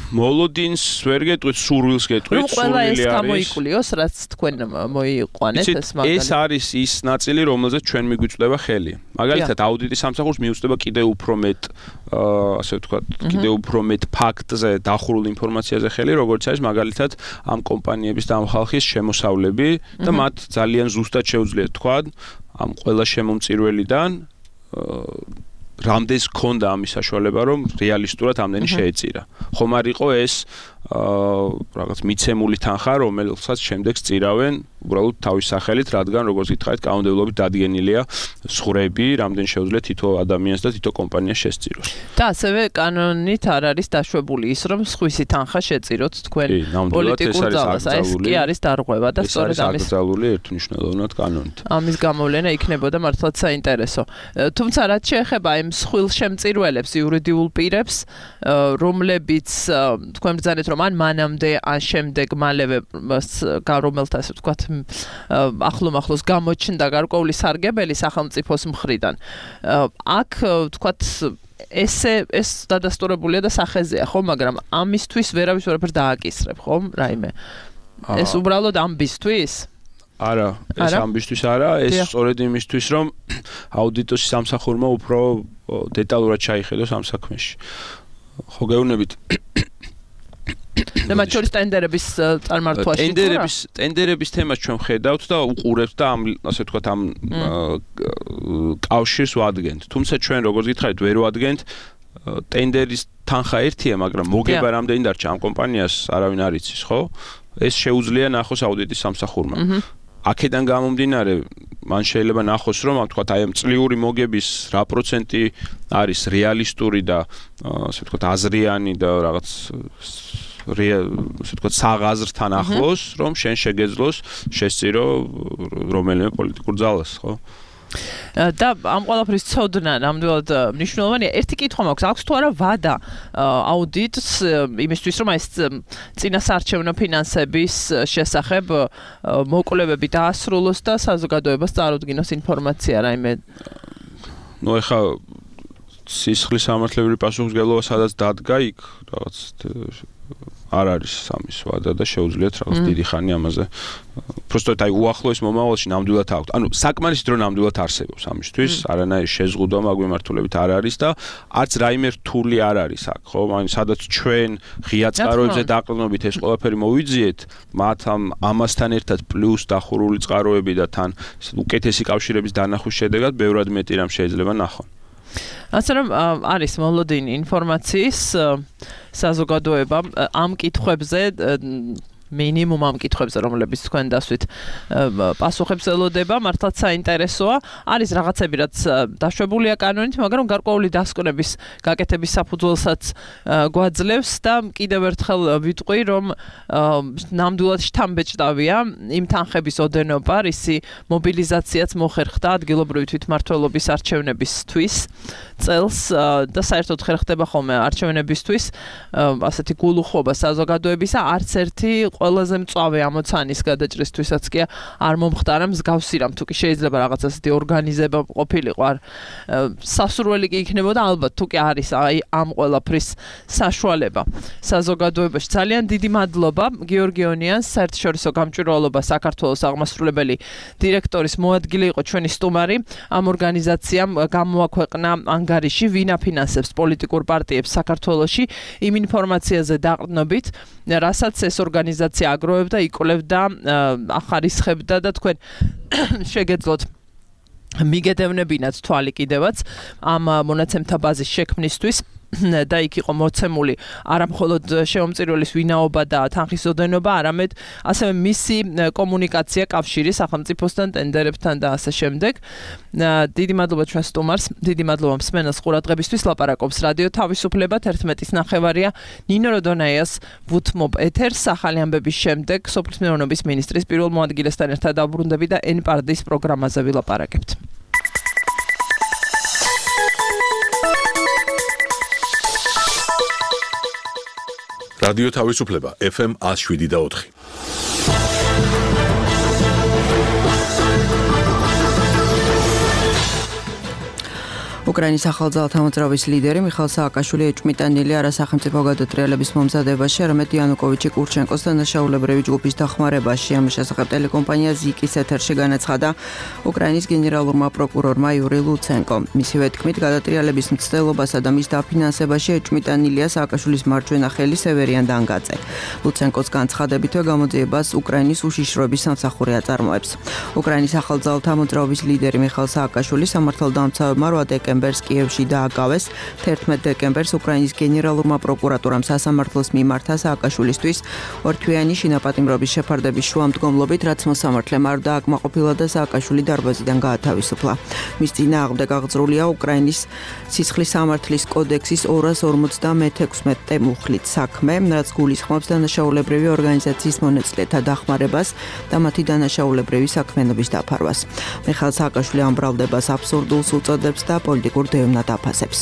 მოლოდინს ვერ გეტყვით, სურვილს გეტყვით, სურვილი არის. ეს გამოიკულიოს, რაც თქვენ მოიყვანეთ ეს მაგალითად. ეს არის ის ნაწილი, რომელზეც ჩვენ მიგვიწვდება ხელი. მაგალითად, აუდიტის სამსახურს მიუწვდება კიდევ უფრო მეტ, ასე ვთქვათ, კიდევ უფრო მეტ ფაქტზე დახურულ ინფორმაციაზე ხელი, როგორც არის მაგალითად ამ კომპანიების და ამ ხალხის შემოსავლები და მათ ძალიან ზუსტად შეუძლიათ თქვა ამ ყველა შემომწირველიდან რამდენს ქონდა ამის საშუალება, რომ რეალისტურად ამდენი შეეწირა. ხომ არ იყო ეს რაღაც მიცემული თანხა, რომელსაც შემდეგ სწირავენ უბრალოდ თავის სახელით, რადგან როგორც გითხარით, კანონმდებლობით დადგენილია სხვრები, რამდენ შეუძლია თითო ადამიანს და თითო კომპანიას შესწიროს. და ასევე კანონით არ არის დაშვებული ის, რომ სხვისი თანხა შეწიროთ თქვენ პოლიტიკურ ძალას. ეს კი არის დარღვევა და სწორედ ამის აკრძალული ერთნიშნულოვნად კანონით. ამის გამოვლენა იქნებოდა მართლაც საინტერესო. თუმცა რაც შეეხება იმ მსხვილ შემწირველებს, იურიდიულ პირებს, რომლებიც თქვენ ბრძანეთ, რომ ან მანამდე, ან შემდეგ მალევე რომელთა ასე ვთქვათ ახლოს გამოჩნდა გარკვეული სარგებელი სახელმწიფოს მხრიდან. აქ ვთქვათ ეს დადასტურებულია და სახეზეა, ხო, მაგრამ ამისთვის ვერავის ვერაფერს დააკისრებ, ხო, რაიმე. ეს უბრალოდ ამბისთვის? არა, ეს ამბისთვის არა, ეს სწორედ იმისთვის, რომ აუდიტოს სამსახურმა უფრო დეტალურად ჩაიხედოს ამ საქმეში. ხო, გეუბნებით. და მათ შორის ტენდერების წარმართვაში ტენდერების თემას ჩვენ ხედავთ და უყურებთ და ამ ასე ვთქვათ ამ კავშირს ვადგენთ. თუმცა ჩვენ როგორც გითხარით, ვერ ვადგენთ ტენდერის თანხა ერთია, მაგრამ მოგება რამდენი დარჩა ამ კომპანიას არავინ არ იცის, ხო? ეს შეუძლია ნახოს აუდიტის სამსახურმა. აქედან გამომდინარე, მან შეიძლება ნახოს, რომ ვთქვათ, აი ამ წლიური მოგების რა პროცენტი არის რეალისტური და ასე ვთქვათ აზრიანი და რაღაც ასე ვთქვათ საღაზრთან ახლოს, რომ შენ შეგეძლოს შესწირო რომელიმე პოლიტიკურ ძალას, ხო? და ამ ყველაფრის ცოდნა ნამდვილად მნიშვნელოვანია. ერთი კითხვა მაქვს, აქვს თუ არა ვადა აუდიტს იმისთვის, რომ ეს წინასაარჩევნო ფინანსების შესახებ მოკვლევები დაასრულოს და საზოგადოებას წარუდგინოს ინფორმაცია რაიმე? ნუ ეხლა სისხლის სამართლებრივი პასუხისმგებლობა სადაც დადგა იქ რაღაც არ არის ამის ვადა და შეუძლიათ რაღაც დიდი ხანი ამაზე. Просто აი უახლოეს მომავალში ნამდვილად აქვს. ანუ საკმარისი დრო ნამდვილად არსებობს ამისთვის, არანაირი შეზღუდვა მაგმემართულებით არ არის და არც რაიმე რთული არ არის აქ, ხო? ანუ სადაც ჩვენ ღია წყაროებზე დაყრდნობით ეს ყველაფერი მოვიძიეთ, მათ ამასთან ერთად პლუს დახურული წყაროები და თან უკეთესი კავშირების დანახვის შედეგად ბევრად მეტი რამ შეიძლება ნახონ. ასე რომ არის მოლოდინი ინფორმაციის საზოგადოება ამ კითხვებზე მინიმუმ ამ კითხვებზე, რომლებიც თქვენ დასვით პასუხებს ელოდება, მართლაც საინტერესოა. არის რაღაცები, რაც დაშვებულია კანონით, მაგრამ გარკვეული დასკვნების გაკეთების საფუძველსაც გვაძლევს და კიდევ ერთხელ ვიტყვი, რომ ნამდვილად შთამბეჭდავია იმ თანხების ოდენობა, რისი მობილიზაციაც მოხერხდა ადგილობრივი თვითმმართველობის არჩევნებისთვის წელს და საერთოდ ხერხდება ხოლმე არჩევნებისთვის ასეთი გულუხობა საზოგადოებისა, არც ერთი ყველაზე მწვავე ამოცანის გადაჭრისთვისაც კი არ მომხდარა მსგავსი რამ თუ კი შეიძლება რაღაც ასეთი ორგანიზება ყოფილიყო არ სასურველი კი იქნებოდა ალბათ თუ კი არის აი ამ ყველაფრის საშუალება საზოგადოებაში ძალიან დიდი მადლობა გიორგი ონიანს საერთაშორისო გამჭვირვალობა საქართველოს აღმასრულებელი დირექტორის მოადგილე იყო ჩვენი სტუმარი ამ ორგანიზაციამ გამოაქვეყნა ანგარიში ვინ აფინანსებს პოლიტიკურ პარტიებს საქართველოში იმ ინფორმაციაზე დაყრდნობით რასაც ეს ორგანიზაცია აგროვებდა, იკვლევდა, ახარისხებდა და თქვენ შეგეძლოთ მიგედევნებინათ თვალი კიდევაც ამ მონაცემთა ბაზის შექმნისთვის და იქ იყო მოცემული არა მხოლოდ შეუმწირველის ვინაობა და თანხის ოდენობა, არამედ ასევე მისი კომუნიკაცია კავშირი სახელმწიფოსთან, ტენდერებთან და ასე შემდეგ. დიდი მადლობა ჩვენ სტუმარს, დიდი მადლობა მსმენელს ყურადღებისთვის. ლაპარაკობს რადიო თავისუფლება 11:09 ნინო როდონაიას ვუთმობ ეთერს ახალი ამბების შემდეგ სოფლის მეურნეობის მინისტრის პირველ მოადგილესთან ერთად დაბრუნდები და N-პარდის პროგრამაზე ვილაპარაკებთ. რადიო თავისუფლება FM 107.4. უკრაინის ახალძალთა მოძრაობის ლიდერი მიხაილ სააკაშვილი ეჭვმიტანილი არა სახელმწიფო გადატრიალების მომზადებაში, არამედ იანუკოვიჩი კურჩენკოს დანაშაულებრივი ჯგუფის დახმარებაში. ამის შესახებ ტელეკომპანია ზიკის ეთერში განაცხადა უკრაინის გენერალურმა პროკურორმა იური ლუცენკო. მისივე თქმით, გადატრიალების მცდელობასა და მის დაფინანსებაში ეჭვმიტანილია სააკაშვილის მარჯვენა ხელი სევერიან დანგაძე. ლუცენკოს განცხადებითვე გამოძიებას უკრაინის უშიშროების სამსახური აწარმოებს. უკრაინის ახალძალთა მოძრაობის ლიდერი მიხაილ სააკაშვილი სამართალდამცავებმა 8 დეკემბერს კიევში დააგავეს. 11 დეკემბერს უკრაინის გენერალურმა პროკურატურამ სასამართლოს მიმართა სააკაშვილისთვის ორთვიანი შინაპატიმრობის შეფარდების შუამდგომლობით, რაც მოსამართლემ არ დააკმაყოფილა და სააკაშვილი დარბაზიდან გაათავისუფლა. მის წინააღმდეგ აღძრულია უკრაინის სისხლის სამართლის კოდექსის 256 მუხლით საქმე, რაც გულისხმობს დანაშაულებრივი ორგანიზაციის მონაწილეთა დახმარებას და მათი დანაშაულებრივი საქმიანობის დაფარვას. მიხაილ სააკაშვილი ამ ბრალდებას აბსურდულს უწოდებს და პოლიტიკურ დევნად აფასებს.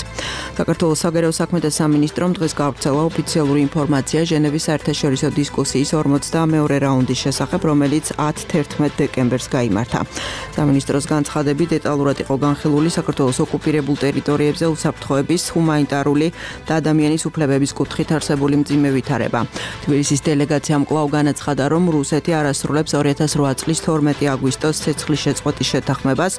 საქართველოს საგარეო საქმეთა სამინისტრომ დღეს გავრცელა ოფიციალური ინფორმაცია ჟენევის საერთაშორისო დისკუსიის 42 რაუნდის შესახებ, რომელიც 10-11 დეკემბერს გაიმართა. სამინისტროს განცხადებით დეტალურად იყო განხილული საქართველოს ოკუპირებულ ტერიტორიებზე უსაფრთხოების, ჰუმანიტარული და ადამიანის უფლებების კუთხით არსებული მძიმე ვითარება. თბილისის დელეგაციამ კვლავ განაცხადა, რომ რუსეთი არასრულებს 2008 წლის 12 აგვისტოს ცეცხლის შეწყვეტის შეთანხმებას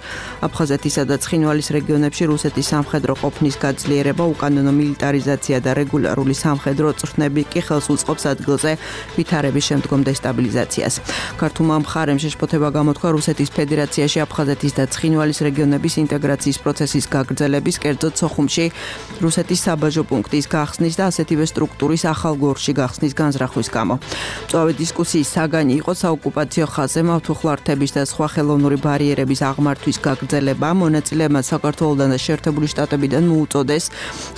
აფხაზეთისა და ცხინვალის რეგიონებში რუსეთის სამხედრო ყოფნის გაძლიერება, უკანონო მილიტარიზაცია და რეგულარული სამხედრო წვრთნები კი ხელს უწყობს ადგილზე ვითარების შემდგომ დესტაბილიზაციას. ქართულმა მხარემ შეშფოთება გამოთქვა რუსეთის ფედერაციაში აფხაზეთის და ცხინვალის რეგიონების ინტეგრაციის პროცესის გაგრძელების, კერძოდ სოხუმში რუსეთის საბაჟო პუნქტის გახსნის და ასეთივე სტრუქტურის ახალ გორში გახსნის განზრახვის გამო. მწვავე დისკუსიის საგანი იყო საოკუპაციო ხაზზე მავთუხლართების და სხვა ხელოვნური ბარიერების აღმართვის გაგრძელება. მონაწილეებმა საქართველოდან და შეერთებული შტატებიდან მოუწოდეს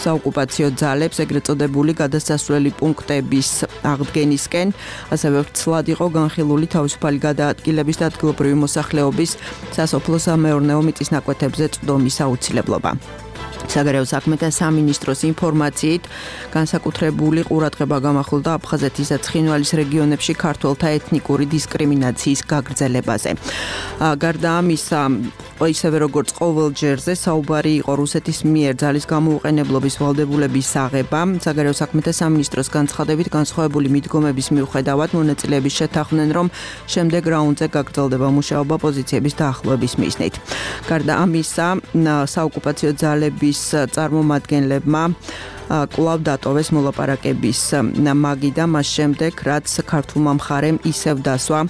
საოკუპაციო ძალებს ეგრეთ წოდებული გადასასვლელი პუნქტების აღდგენისკენ, ასევე ვრცლად იყო განხილული თავისუფალი გადაადგილების და ადგილობრივი მოსახლეობის სასოფლო-სამეურნეო მიწის ნაკვეთებზე წვდომის აუცილებლობა. საგარეო საქმეთა სამინისტროს ინფორმაციით, განსაკუთრებული ყურადღება გამახვილდა აფხაზეთის და ცხინვალის რეგიონებში ქართველთა ეთნიკური დისკრიმინაციის გაგრძელებაზე. გარდა ამისა, ისევე როგორც ყოველ ჯერზე საუბარი იყო რუსეთის მიერ ძალის გამოუყენებლობის ვალდებულების აღება. საგარეო საქმეთა სამინისტროს განცხადებით, განსხვავებული მიდგომების მიუხედავად მონაწილეები შეთანხმდნენ, რომ შემდეგ რაუნდზე გაგრძელდება მუშაობა პოზიციების დაახლოების მიზნით. გარდა ამისა, საოკუპაციო ძალების წარმომადგენლებმა კვლავ დატოვეს მოლაპარაკების მაგი და მას შემდეგ, რაც ქართულმა მხარემ ისევ დასვა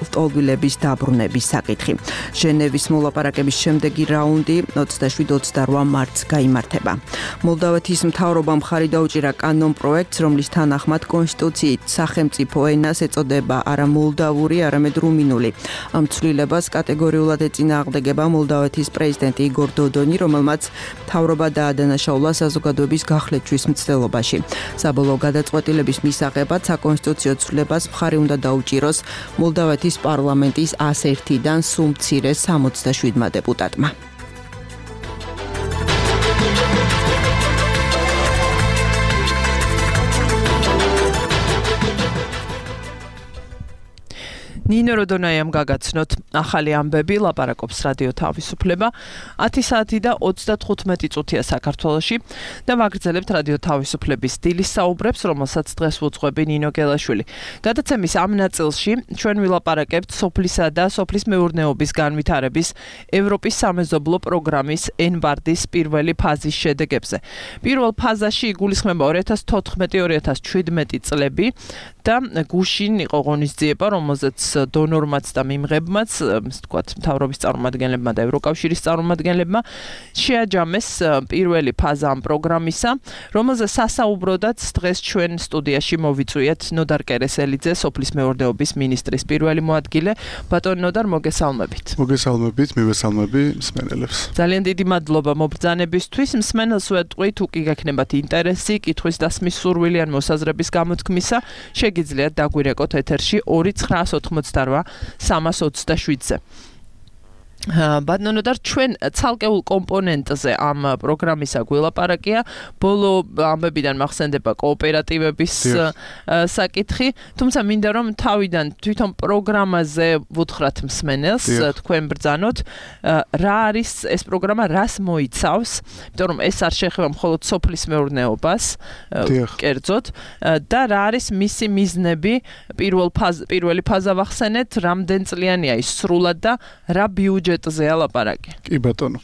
ლტოლვილების დაბრუნების საკითხი. ჟენევის მოლაპარაკების შემდეგი რაუნდი 27-28 მარტს გაიმართება. მოლდავეთის მთავრობამ მხარი დაუჭირა კანონ პროექტს, რომლის თანახმად კონსტიტუციით სახელმწიფო ენას ეწოდება არა მოლდავური, არამედ რუმინული. ამ ცვლილებას კატეგორიულად ეწინააღმდეგება მოლდავეთის პრეზიდენტი იგორ დოდონი, რომელმაც მთავრობა დაადანაშაულა საზოგადოების გახლეჩვის მცდელობაში. საბოლოო გადაწყვეტილების მისაღებად საკონსტიტუციო ცვლილებას მხარი უნდა დაუჭიროს მოლდავეთის პარლამენტის 101-დან სულ მცირე 67 დეპუტატმა. ნინო როდონაიამ გაგაცნოთ ახალი ამბები, ლაპარაკობს რადიო თავისუფლება 10 საათი და 35 წუთია საქართველოში და ვაგრძელებთ რადიო თავისუფლების დილის საუბრებს, რომელსაც დღეს ვუძღვები ნინო გელაშვილი. გადაცემის ამ ნაწილში ჩვენ ვილაპარაკებთ სოფლისა და სოფლის მეურნეობის განვითარების ევროპის სამეზობლო პროგრამის ENBARD-ის პირველი ფაზის შედეგებზე. პირველ ფაზაში იგულისხმება 2014-2017 წლები და გუშინ იყო ღონისძიება, რომელზეც დონორმაც და მიმღებმაც, ასე ვთქვათ, მთავრობის წარმომადგენლებმა და ევროკავშირის წარმომადგენლებმა შეაჯამეს პირველი ფაზა ამ პროგრამისა, რომელზე სასაუბროდაც დღეს ჩვენ სტუდიაში მოვიწვიეთ ნოდარ კერესელიძე, სოფლის მეურნეობის მინისტრის პირველი მოადგილე. ბატონ ნოდარ, მოგესალმებით. მოგესალმებით, მივესალმები მსმენელებს. ძალიან დიდი მადლობა მობრძანებისთვის. მსმენელს ვეტყვი, თუ კი გექნებათ ინტერესი, კითხვის დასმის სურვილი ან მოსაზრების გამოთქმისა, შეგიძლიათ დაგვირეკოთ ეთერში 298-327-ზე. ბატონო ნოდარ, ჩვენ ცალკეულ კომპონენტზე ამ პროგრამისა გველაპარაკია. ბოლო ამბებიდან მახსენდება კოოპერატივების საკითხი, თუმცა მინდა რომ თავიდან თვითონ პროგრამაზე ვუთხრათ მსმენელს, თქვენ ბრძანოთ, რა არის ეს პროგრამა, რას მოიცავს, იმიტომ რომ ეს არ შეეხება მხოლოდ სოფლის მეურნეობას, კერძოდ, და რა არის მისი მიზნები, პირველი ფაზა ვახსენეთ, რამდენ წლიანია ის სრულად და რა ბიუჯეტია ლაპარაკი. კი ბატონო.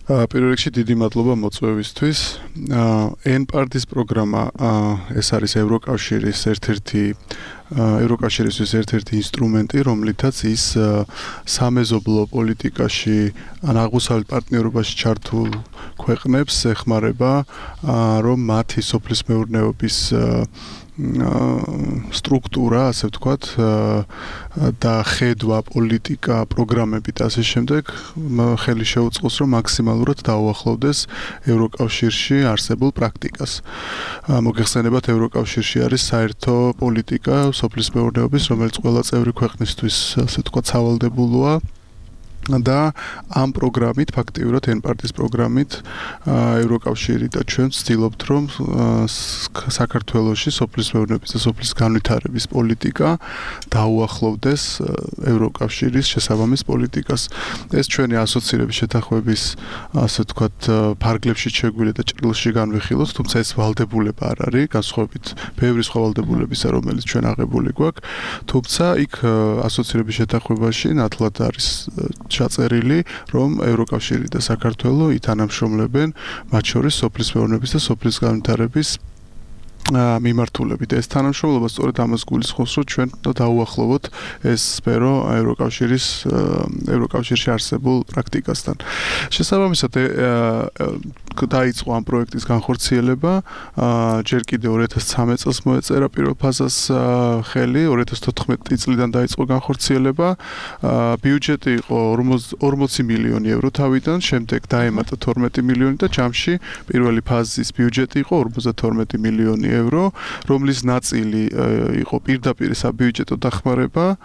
პირველ რიგში დიდი მადლობა მოწვევისთვის. ENBARD-ის პროგრამა ეს არის ევროკავშირის ერთ-ერთი ინსტრუმენტი, რომლითაც ის სამეზობლო პოლიტიკაში ან აღმოსავლეთ პარტნიორობაში ჩართულ ქვეყნებს ეხმარება, რომ მათი სოფლის მეურნეობის სტრუქტურა, ასე ვთქვათ, და ხედვა, პოლიტიკა, პროგრამები და ასე შემდეგ ხელი შეუწყოს, რომ მაქსიმალურად დაუახლოვდეს ევროკავშირში არსებულ პრაქტიკას. მოგეხსენებათ, ევროკავშირში არის საერთო პოლიტიკა სოფლის მეურნეობის, რომელიც ყველა წევრი ქვეყნისთვის, ასე ვთქვათ, სავალდებულოა. და ამ პროგრამით, ფაქტიურად ENBARD-ის პროგრამით, ევროკავშირი და ჩვენ ვცდილობთ, რომ საქართველოში სოფლის მეურნეობის და სოფლის განვითარების პოლიტიკა დაუახლოვდეს ევროკავშირის შესაბამის პოლიტიკას. ეს ჩვენი ასოცირების შეთანხმების, ასე ვთქვათ, ფარგლებში შეგვიძლია და ჭრილში განვიხილოთ, თუმცა ეს ვალდებულება არ არის, განსხვავებით ბევრი სხვა ვალდებულებისა, რომელიც ჩვენ აღებული გვაქვს. თუმცა იქ ასოცირების შეთანხმებაში ნათლად არის ჩაწერილი, რომ ევროკავშირი და საქართველო ითანამშრომლებენ მათ შორის სოფლის მეურნეობის და სოფლის განვითარების მიმართულებით. ეს თანამშრომლობა სწორედ ამას გულისხმობს, რომ ჩვენ დავუახლოვოთ ეს სფერო ევროკავშირში არსებულ პრაქტიკასთან. შესაბამისად, დაიწყო ამ პროექტის განხორციელება, ჯერ კიდევ 2013 წელს მოეწერა პირველ ფაზას ხელი, 2014 წლიდან დაიწყო განხორციელება. ბიუჯეტი იყო 40 მილიონი ევრო თავიდან, შემდეგ დაემატა 12 მილიონი და ჯამში პირველი ფაზის ბიუჯეტი იყო 52 მილიონი ევრო, რომლის ნაწილი იყო პირდაპირ საბიუჯეტო დახმარება,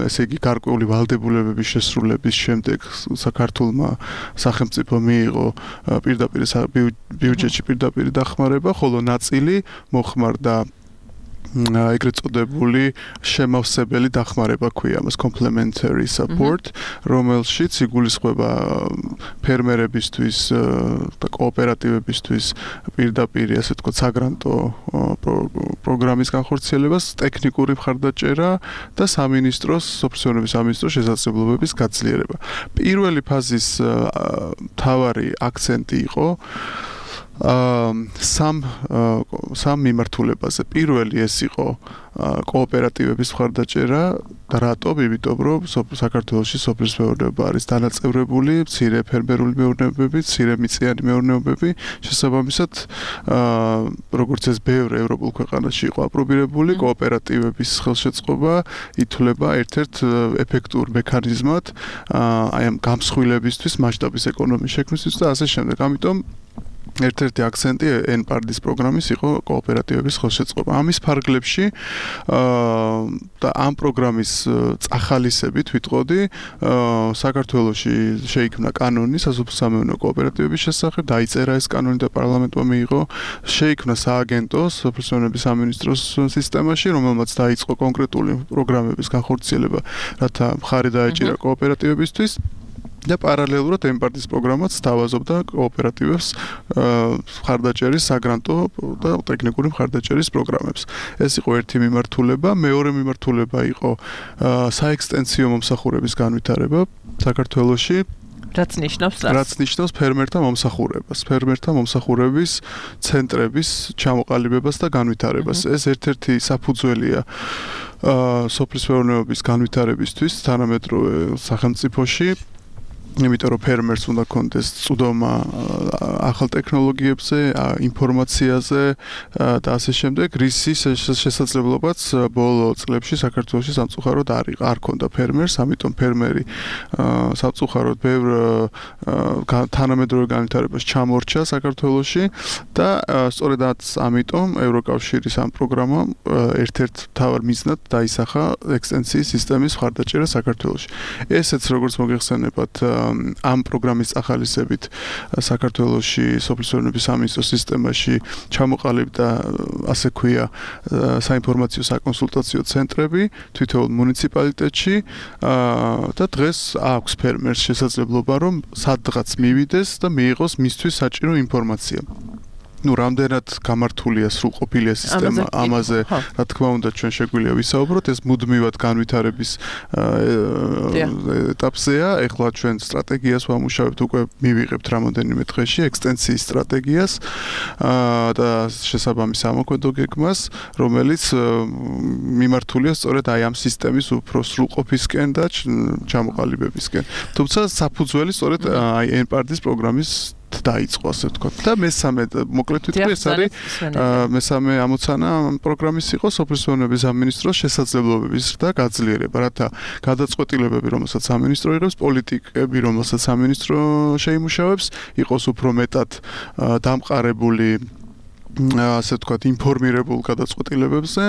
ესე იგი გარკვეული ვალდებულებების შესრულების შემდეგ საქართველმა სახელმწიფო მიიღო პირდაპირ ბიუჯეტში პირდაპირ დახმარება, ხოლო ნაწილი მოხმარდა ეგრეთ წოდებული შემავსებელი დახმარება ქვია მას complementary support, რომელშიც იგულისხმება ფერმერებისთვის და კოოპერატივებისთვის პირდაპირ ასე ვთქვათ საგრანტო პროგრამის განხორციელებას, ტექნიკური მხარდაჭერა და სამინისტროს, სოფლის სამინისტროს შესაძლებლობების გაძლიერება. პირველი ფაზის მთავარი აქცენტი იყო სამ მიმართულებაზე. პირველი ეს იყო კოოპერატივების მხარდაჭერა და რატომ? იმიტომ რომ საქართველოში სოფლის მეურნეობა არის დანაწევრებული, მცირე ფერმერული მეურნეობები, მცირე მიწიანი მეურნეობები, შესაბამისად როგორც ეს ბევრ ევროპულ ქვეყანაში იყო აპრობირებული, კოოპერატივების ხელშეწყობა ითვლება ერთ-ერთ ეფექტურ მექანიზმად აი ამ გამსხვილებისთვის, მასშტაბის ეკონომიკის შექმნისთვის და ასე შემდეგ. ამიტომ ერთ-ერთი აქცენტი NPARD-ის პროგრამის იყო კოოპერატივების ხელშეწყობა. ამის ფარგლებში და ამ პროგრამის წახალისებით ვიტყოდი, საქართველოში შეიქმნა კანონი სასოფლო-სამეურნეო კოოპერატივების შესახებ, დაიწერა ეს კანონი და პარლამენტმა მიიღო, შეიქმნა სააგენტო სოფლის სამინისტროს სისტემაში, რომელმაც დაიწყო კონკრეტული პროგრამების განხორციელება, რათა მხარი დაეჭირა კოოპერატივებისთვის. და პარალელურად NPARD-ის პროგრამაც სთავაზობდა კოოპერატივებს მხარდაჭერის საგრანტო და ტექნიკური მხარდაჭერის პროგრამებს. ეს იყო ერთი მიმართულება, მეორე მიმართულება იყო საექსტენსიო მომსახურების განვითარება საქართველოში. რაც ნიშნავს ფერმერთა მომსახურებას, ფერმერთა მომსახურების ცენტრების ჩამოყალიბებას და განვითარებას. ეს ერთ-ერთი საფუძველია სოფლის მეურნეობის განვითარებისთვის თანამედროვე სახელმწიფოში. იმიტომ რომ ფერმერს უნდა კონდეს წვდომა ახალ ტექნოლოგიებზე, ინფორმაციაზე და ასე შემდეგ, რისის შესაძლებლობაც ბოლო წლებში საქართველოში სამწუხაროდ არ ქონდა ფერმერს, ამიტომ ფერმერი სამწუხაროდ ბევრ თანამედროვე განვითარებას ჩამორჩა საქართველოში და სწორედ ამიტომ ევროკავშირის ამ პროგრამამ ერთ-ერთ მთავარ მიზნად დაისახა ექსტენსიის სისტემის მხარდაჭერა საქართველოში. ესეც როგორც მოგეხსენებათ ამ პროგრამის წახალისებით საქართველოში სოფლის მეურნეობის სამინისტროს სისტემაში ჩამოყალიბდა ასე ქვია საინფორმაციო საკონსულტაციო ცენტრები თითოეულ მუნიციპალიტეტში და დღეს აქვს ფერმერს შესაძლებლობა რომ სადღაც მივიდეს და მიიღოს მისთვის საჭირო ინფორმაცია. რამდენად გამართულია სრულყოფილია სისტემა ამაზე, რა თქმა უნდა, ჩვენ შეგვიძლია ვისაუბროთ, ეს მუდმივად განვითარების ეტაპზეა. ეხლა ჩვენ სტრატეგიას ვამუშავებთ, უკვე მივიღებთ რამოდენიმე დღეში ექსტენსიის სტრატეგიას და შესაბამის ამოქმედო გეგმას, რომელიც მიმართულია სწორედ აი ამ სისტემის უფრო სრულყოფისკენ და ჩამოყალიბებისკენ. თუმცა საფუძველი სწორედ აი NPARD-ის პროგრამის დაიწყო ასე ვთქვათ. და მესამე მოკლედ ვიტყვი ეს არის მესამე ამოცანა პროგრამის იყო სოფლის მეურნეობის სამინისტროს შესაძლებლობების და გაძლიერება, რათა გადაწყვეტილებები, რომელსაც სამინისტრო იღებს, პოლიტიკები, რომელსაც სამინისტრო შეიმუშავებს, იყოს უფრო მეტად დამყარებული ასე ვთქვათ ინფორმირებულ გადაწყვეტილებებზე,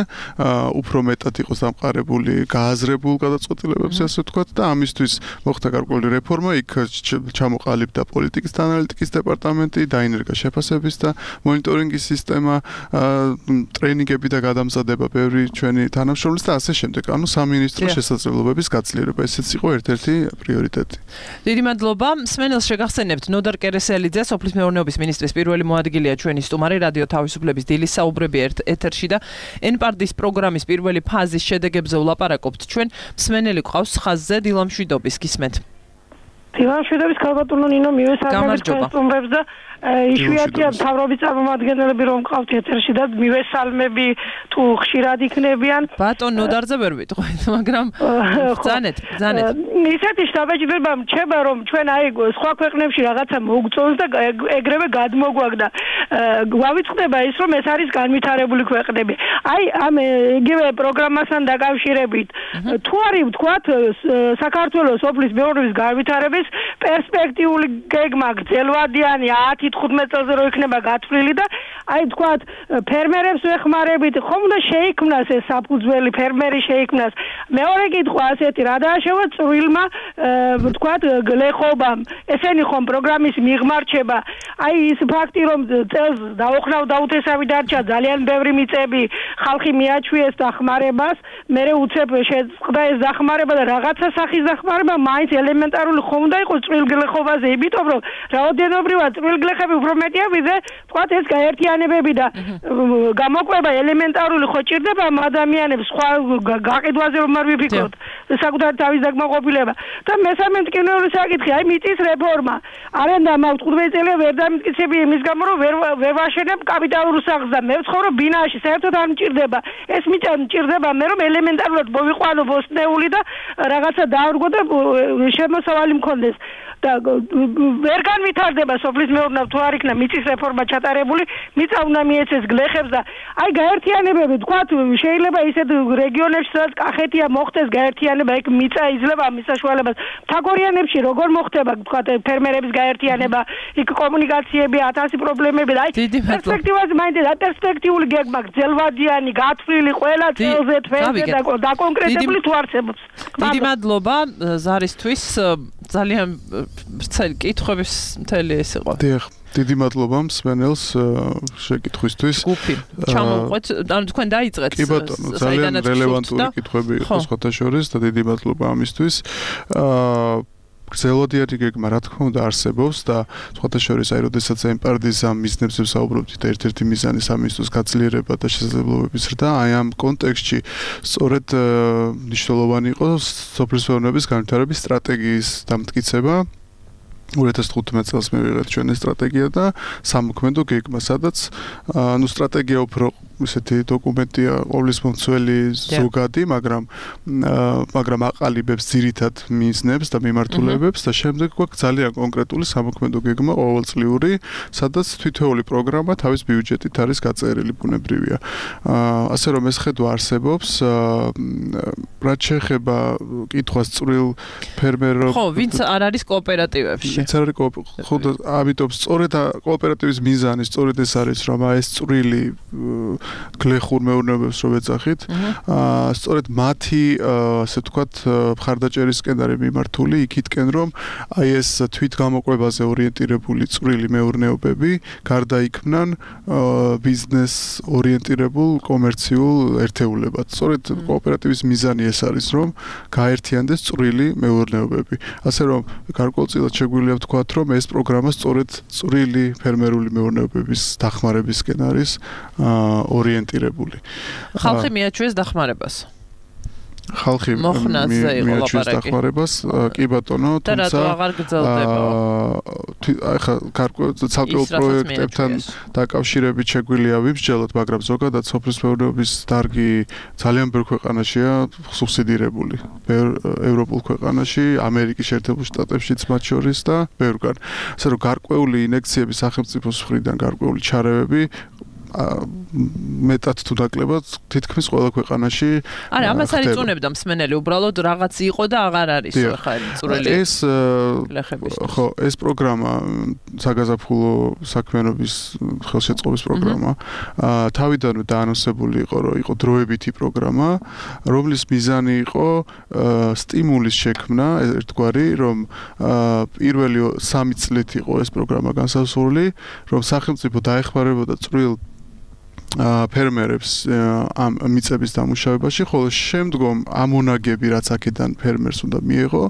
უფრო მეტად იყოს დამყარებული გააზრებულ გადაწყვეტილებებზე, ასე ვთქვათ და ამისთვის მოხდა გარკვეული რეფორმა, იქ ჩამოყალიბდა პოლიტიკის და ანალიტიკის დეპარტამენტი, დაინერგა შეფასების და მონიტორინგის სისტემა, ტრეინინგები და გადამზადება ბევრი ჩვენი თანამშრომლის და ასე შემდეგ. ანუ სამინისტროს შესაძლებლობების გაძლიერება, ესეც იყო ერთ-ერთი პრიორიტეტი. დიდი მადლობა. მსმენელს შეგახსენებთ, ნოდარ კერესელიძე, სოფლის მეურნეობის მინისტრის პირველი მოადგილეა ჩვენი სტუმარი რადიო თავისუფლების დილის საუბრები ეთერში და NPARD-ის პროგრამის პირველი ფაზის შედეგებზე ვლაპარაკობთ. ჩვენ მსმენელი ყავს ხაზზე დილამ შვიდობის გისმენთ. დილამ შვიდობის ქალბატონო ნინო მივესალმებით სტუმრებს და იშვიათია მთავრობის წარმომადგენლები რომ ყავთ ეთერში და მივესალმები თუ ხშირად იქნებიან. ბატონ ნოდარზე ვერ ვიტყვით, მაგრამ ბრძანეთ. ისეთი შთაბეჭდილება მრჩება რომ ჩვენ აი სხვა ქვეყნებში რაღაცა მოგწონს და ეგრევე გადმოგვაგდა. გვავიწყდება ის რომ ეს არის განვითარებული ქვეყნები. აი ამ იგივე პროგრამასთან დაკავშირებით თუ არის ვთქვათ საქართველოს სოფლის მეურნეობის განვითარების პერსპექტიული გეგმა გრძელვადიანი 10 10-15 წელზე რო იქნება გათვლილი და აი თქვათ ფერმერებს ვეხმარებით, ხომ და შეიქმნას ეს საფუძველი ფერმერი შეიქმნას. მეორე კითხვა ასეთი, რა დააშოვა წვრილმა თქვათ გლეხობამ. ესენი ხომ პროგრამის მიღმარჩება, აი ის ფაქტი რომ წელს დაუხნავ დაუთესავი დარჩა ძალიან ბევრი მიწები, ხალხი მიაჩვიეს დახმარებას, მერე უცებ შეწყდა ეს დახმარება და რაღაცა სახის დახმარება მაინც ელემენტარული ხომ უნდა იყოს წვრილგლეხობაზე, იმიტომ რომ რაოდენობრივად წვრილგლეხები უფრო მეტია ვიდრე თქვათ ეს გაერთიანებები და გამოკვება ელემენტარული ხო ჭირდება ადამიანებს სხვა გაყიდვაზე რომ არ ვიფიქროთ საკუთარ თავის დაკმაყოფილება და მესამე მტკივნეული საკითხი აი მიწის რეფორმა არენდა მაქვს 15 წელია ვერ დამტკიცები იმის გამო რომ ვერ ვაშენებ კაპიტალურ სახლს და მე ვცხოვრობ ბინაში საერთოდ არ მჭირდება ეს მიწა მჭირდება მე რომ ელემენტარულად მოვიყვანო ბოსტნეული და რაღაცა დავრგო და შემოსავალი მქონდეს და ვერ განვითარდება სოფლის მეურნეობა თუ არ იქნა მიწის რეფორმა ჩატარებული მიწა უნდა მიეცეს გლეხებს და აი გაერთიანებები თქვათ შეიძლება ისეთ რეგიონებში სადაც კახეთია მოხდეს გაერთიანება იქ მიწა იძლევა ამ საშუალებას თაგორიანებში როგორ მოხდება თქვათ ფერმერების გაერთიანება იქ კომუნიკაციები 1000 პრობლემები და აი პერსპექტივაზე მაინც და პერსპექტიული გეგმა გრძელვადიანი გათვლილი ყველა წელზე თვეზე და კონკრეტული თუ არსებობს დიდი მადლობა ზარისთვის ძალიან ვრცელი კითხვების მთელი ეს იყო. დიახ, დიდი მადლობა მსმენელს შეკითხვისთვის. გუფი, ჩამოვყვეთ, ანუ თქვენ დაიწყეთ. კი ბატონო, ძალიან რელევანტური კითხვები იყო სხვათა შორის და დიდი მადლობა ამისთვის. გრძელვადიანი გეგმა რა თქმა უნდა არსებობს და სხვათა შორის აი როდესაც ემპარდის ამ მიზნებზე ვსაუბრობთ და ერთ-ერთი მიზანი სამინისტროს გაძლიერება და შესაძლებლობების ზრდა აი ამ კონტექსტში სწორედ მნიშვნელოვანი იყო სოფლის მეურნეობის განვითარების სტრატეგიის დამტკიცება 2015 წელს მივიღეთ ჩვენი სტრატეგია და სამოქმედო გეგმა, სადაც ანუ სტრატეგია უფრო ისეთი დოკუმენტია ყოვლის მომცველი ზოგადი, მაგრამ აყალიბებს ძირითად მიზნებს და მიმართულებებს და შემდეგ გვაქვს ძალიან კონკრეტული სამოქმედო გეგმა ყოველწლიური, სადაც თითოეული პროგრამა თავის ბიუჯეტით არის გაწერილი ბუნებრივია. ასე რომ ეს ხედვა არსებობს, რაც შეეხება კითხვას წვრილ ფერმერებს. ხო, ვინც არ არის კოოპერატივებში. ვინც არ არის ხო, ამიტომ სწორედ კოოპერატივის მიზანი სწორედ ეს არის, რომ ეს წვრილი გლეხურ მეურნეობებს რო ვეძახით, სწორედ მათი, ასე ვთქვათ, მხარდაჭერისკენ არის მიმართული იქითკენ, რომ აი ეს თვითგამოყვებაზე ორიენტირებული წვრილი მეურნეობები გარდაიქმნან ბიზნეს ორიენტირებულ კომერციულ ერთეულებად. სწორედ კოოპერატივის მიზანი ეს არის, რომ გაერთიანდეს წვრილი მეურნეობები. ასე რომ გარკვეულწილად შეგვიძლია ვთქვათ, რომ ეს პროგრამა სწორედ წვრილი ფერმერული მეურნეობების დახმარებისკენ არის ორიენტირებული. ხალხი მიაჩვიეს დახმარებას. ხალხი მიაჩვიეს დახმარებას, კი ბატონო, თუმცა ახლა ცალკეულ პროექტებთან დაკავშირებით შეგვიძლია ვიბრძოლოთ, მაგრამ ზოგადად სოფლის მეურნეობის დარგი ძალიან ბევრ ქვეყანაშია სუბსიდირებული. ევროპულ ქვეყანაში, ამერიკის შეერთებულ შტატებშიც მათ შორის და ბევრგან. ასე რომ გარკვეული ინექციები სახელმწიფოს მხრიდან, გარკვეული ჩარევები მეტად თუ ნაკლებად თითქმის ყველა ქვეყანაში არა ამას არ იწუნებდა მსმენელი უბრალოდ რაღაც იყო და აღარ არის ხა წვრილი ეს ხო ეს პროგრამა საგაზაფხულო საქმიანობის ხელშეწყობის პროგრამა თავიდანვე დაანონსებული იყო რომ იყო დროებითი პროგრამა რომლის მიზანი იყო სტიმულის შექმნა ერთგვარი რომ პირველი 3 წლით იყო ეს პროგრამა განსაზღვრული რომ სახელმწიფო დაეხმარებოდა წვრილ ფერმერებს ამ მიწების დამუშავებაში, ხოლო შემდგომ ამონაგები რაც აქედან ფერმერს უნდა მიეღო,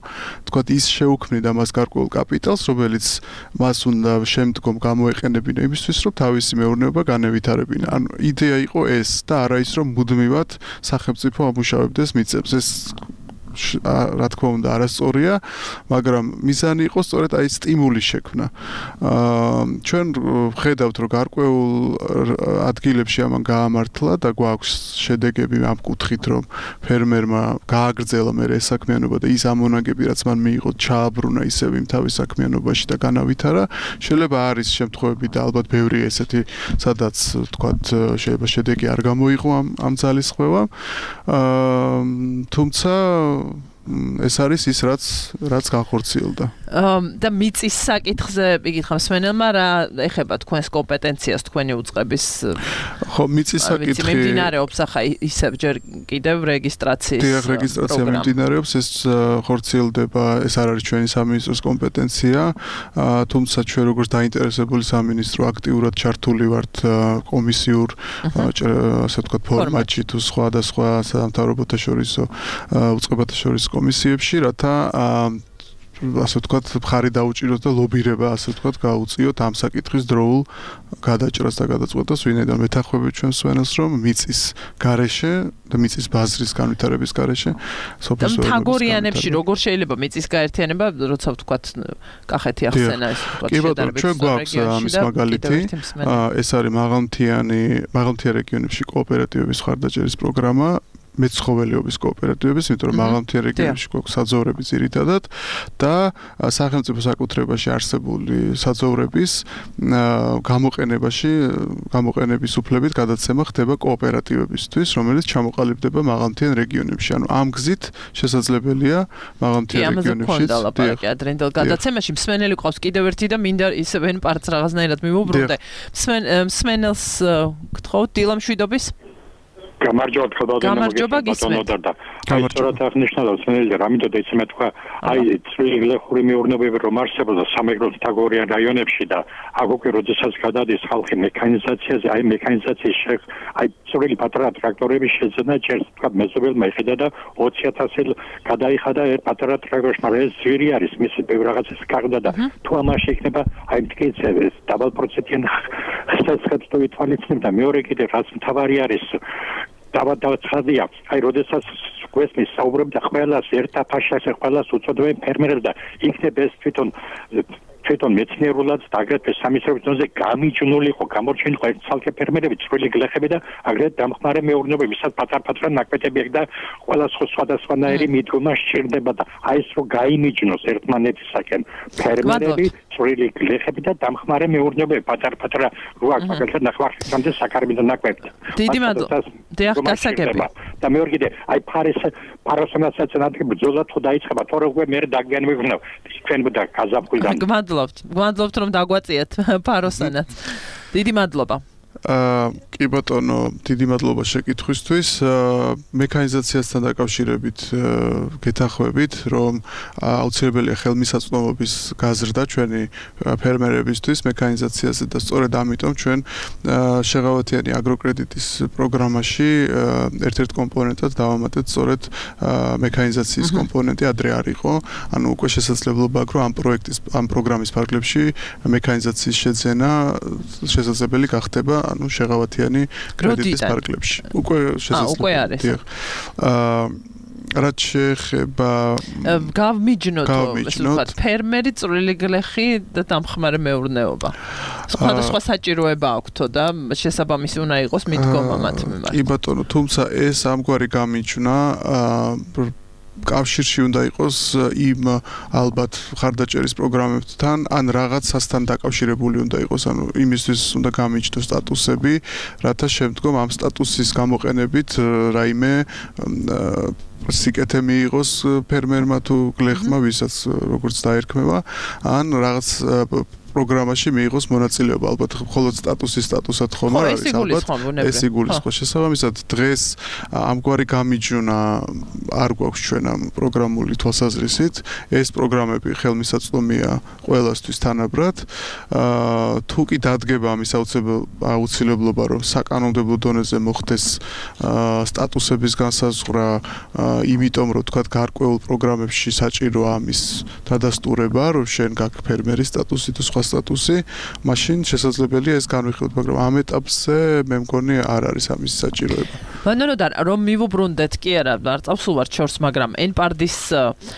თქვათ ის შეუქმნიდა მას გარკვეულ კაპიტალს, რომელიც მას უნდა შემდგომ გამოეყენებინა იმისთვის, რომ თავისი მეურნეობა განევითარებინა. ანუ იდეა იყო ეს და არა ის, რომ მუდმივად სახელმწიფო ამუშავებდეს მიწებს. ეს რა თქმა უნდა არასწორია, მაგრამ მიზანი იყო სწორედ აი სტიმულის შექმნა. ჩვენ ხედავთ, რომ გარკვეულ ადგილებში ამან გაამართლა და გვაქვს შედეგები ამ კუთხით, რომ ფერმერმა გააგრძელა მე ეს საქმიანობა და ის ამონაგები, რაც მან მიიღო, ჩააბრუნა ისევ იმ თავის საქმიანობაში და განავითარა. შეიძლება არის შემთხვევები და ალბათ ბევრი ესეთი, სადაც თქვათ შეიძლება შედეგი არ გამოიღო ამ ძალისხმევამ. თუმცა ეს არის ის რაც განხორციელდა. და მიწის საკითხზე იგითხა მსმენელმა რა ეხება თქვენს კომპეტენციას თქვენი უწყების ხო მიწის საკითხი მიმდინარეობს ახლა ისევ ჯერ კიდევ რეგისტრაციის რეგისტრაცია მიმდინარეობს ეს ხორციელდება ეს არ არის ჩვენი სამინისტროს კომპეტენცია თუმცა ჩვენ როგორც დაინტერესებული სამინისტრო აქტიურად ჩართული ვართ კომისიურ ასე ვთქვათ ფორმატში თუ სხვადასხვა სამთავრობოთა შორის უწყებათა შორის კომისიებში რათა ასე ვთქვათ მხარი დაუჭიროთ და ლობირება ასე ვთქვათ გაუწიოთ ამ საკითხის დროულ გადაჭრას და გადაწყვეტას ვინაიდან მეთანხმებით ჩვენ სვენელს რომ მიწის გარეშე და მიწის ბაზრის განვითარების გარეშე სოფლის თაგორიანებში როგორ შეიძლება მიწის გაერთიანება როცა ვთქვათ კახეთი ახსენა ეს ვთქვათ კი ბატონო ჩვენ გვაქვს ამის მაგალითი ეს არის მაღალმთიან რეგიონებში კოოპერატივების ხარდაჭერის პროგრამა მეცხოველეობის კოოპერატივების, იმიტომ რომ მაღალმთიან რეგიონებში გვაქვს საძოვრები ძირითადად და სახელმწიფო საკუთრებაში არსებული საძოვრების გამოყენების უფლებით გადაცემა ხდება კოოპერატივებისთვის, რომელიც ჩამოყალიბდება მაღალმთიან რეგიონებში. ანუ ამ გზით შესაძლებელია მაღალმთიან რეგიონებში. ადრინდელ გადაცემაში მსმენელი ყავს კიდევ ერთი და მინდა ისევენ პარტს რაღაცნაირად მივუბრუნდე. მსმენელს გთხოვთ დილამშვიდობის გამარჯობა გამარჯობა გისმენთ. აი სწორად აღნიშნავ სმენელი რამითო და იცი მე თქვა აი წვრილი გლეხური მეურნეობები რომ არსებობს სამეგრელოს თაგორიან რაიონებში და აქ უკვე როდესაც გადადის ხალხი მექანიზაციაზე აი მექანიზაციის აი წვრილი პატარა ტრაქტორები შეძენა ჯერ თქვა მეზობელმა იხედა და 20000 გადაიხადა ერთ პატარა ტრაქტორში მაგრამ ეს ძვირი არის მისი ბევრ რაღაცას გაგდა და თუ ამაში იქნება აი მტკიცე დაბალპროცენტიან ხსნას თუ ვითვალისწინებ და მეორე კიდე რაც მთავარი არის დავაცხადია აი როდესაც გვესმის საუბრობ და ყველას ერთაფაშას ყველას უწოდებენ ფერმერებს და იქნება ეს თვითონ მეცნიერულად და აგრეთვე სამისრობის დონეზე გამიჯნული იყო გამორჩენილი იყო ცალკე ფერმერები წვრილი გლეხები და აგრეთვე დამხმარე მეურნეობები ვისაც პატარ-პატარა ნაკვეთები აქვს და ყველა სხვადასხვანაირი მიდგომა სჭირდება და აი ეს რო გაიმიჯნოს ერთმანეთისაკენ ფერმერები წვრილი გლეხები და დამხმარე მეურნეობები პატარ-პატარა რო აქვს მაგალითად ნახევარხანზე საკარბიდო ნაკვეთი დიდი მადლობა დიახ გასაგები და მეორე კიდე აი ფაროსანასაც ნადგენ ბრძოლა თუ დაიწყება თორე უკვე მე დაგიანმევრნავ თქვენ და გაზაფხულიდან გვადლობთ რომ დაგვაწიეთ ფაროსანაც დიდი მადლობა კი ბატონო, დიდი მადლობა შეკითხვისთვის. მექანიზაციასთან დაკავშირებით გეთანხმებით, რომ აუცილებელია ხელმისაწვდომობის გაზრდა ჩვენი ფერმერებისთვის მექანიზაციაზე და სწორედ ამიტომ ჩვენ შეღავათიანი აგროკრედიტის პროგრამაში ერთ-ერთ კომპონენტად დავამატეთ სწორედ მექანიზაციის კომპონენტი ადრე არ იყო. ანუ უკვე შესაძლებლობა აქვს, რომ ამ პროგრამის ფარგლებში მექანიზაციის შეძენა შესაძლებელი გახდება ანუ შეღავათიანი კრედიტის ფარგლებში. უკვე შესაძლებელი. დიახ. რაც შეეხება გავმიჯნოთ ფერმერი წვრილი გლეხი და დამხმარე მეურნეობა. სხვადასხვა საჭიროება აქვთო და შესაბამისი უნდა იყოს მიდგომა მათ მიმართ. კი ბატონო, თუმცა ეს ამგვარი გამიჯვნა კავშირში უნდა იყოს იმ ალბათ ხარდაჭერის პროგრამებთან ან რაღაცასთან დაკავშირებული უნდა იყოს, ანუ იმისთვის უნდა გამიჯნოს სტატუსები, რათა შემდგომ ამ სტატუსის გამოყენებით რაიმე სიკეთე მიიღოს ფერმერმა თუ გლეხმა, ვისაც როგორც დაერქმევა, ან რაღაც პროგრამაში მიიღოს მონაწილეობა, ალბათ მხოლოდ სტატუსად ხომ არ არის, ალბათ ეს იგულისხმება. შესაბამისად, დღეს ამგვარი გამიჯვნა არ გვაქვს ჩვენ ამ პროგრამული თვალსაზრისით. ეს პროგრამები ხელმისაწვდომია ყველასთვის თანაბრად. თუ კი დადგება ამის აუცილებლობა, რომ საკანონმდებლო დონეზე მოხდეს სტატუსების განსაზღვრა, იმიტომ რომ თქვა გარკვეულ პროგრამებში საჭიროა ამის დადასტურება, რომ შენ გაქვს ფერმერის სტატუსი თუ სხვა სტატუსი, მაშინ შესაძლებელია ეს განვიხილოთ, მაგრამ ამ ეტაპზე მე მგონი არ არის ამის საჭიროება. ბანონოდარ რომ მივუბრუნდეთ კი არა, არ წავსულვარ ჩორს, მაგრამ ენპარდის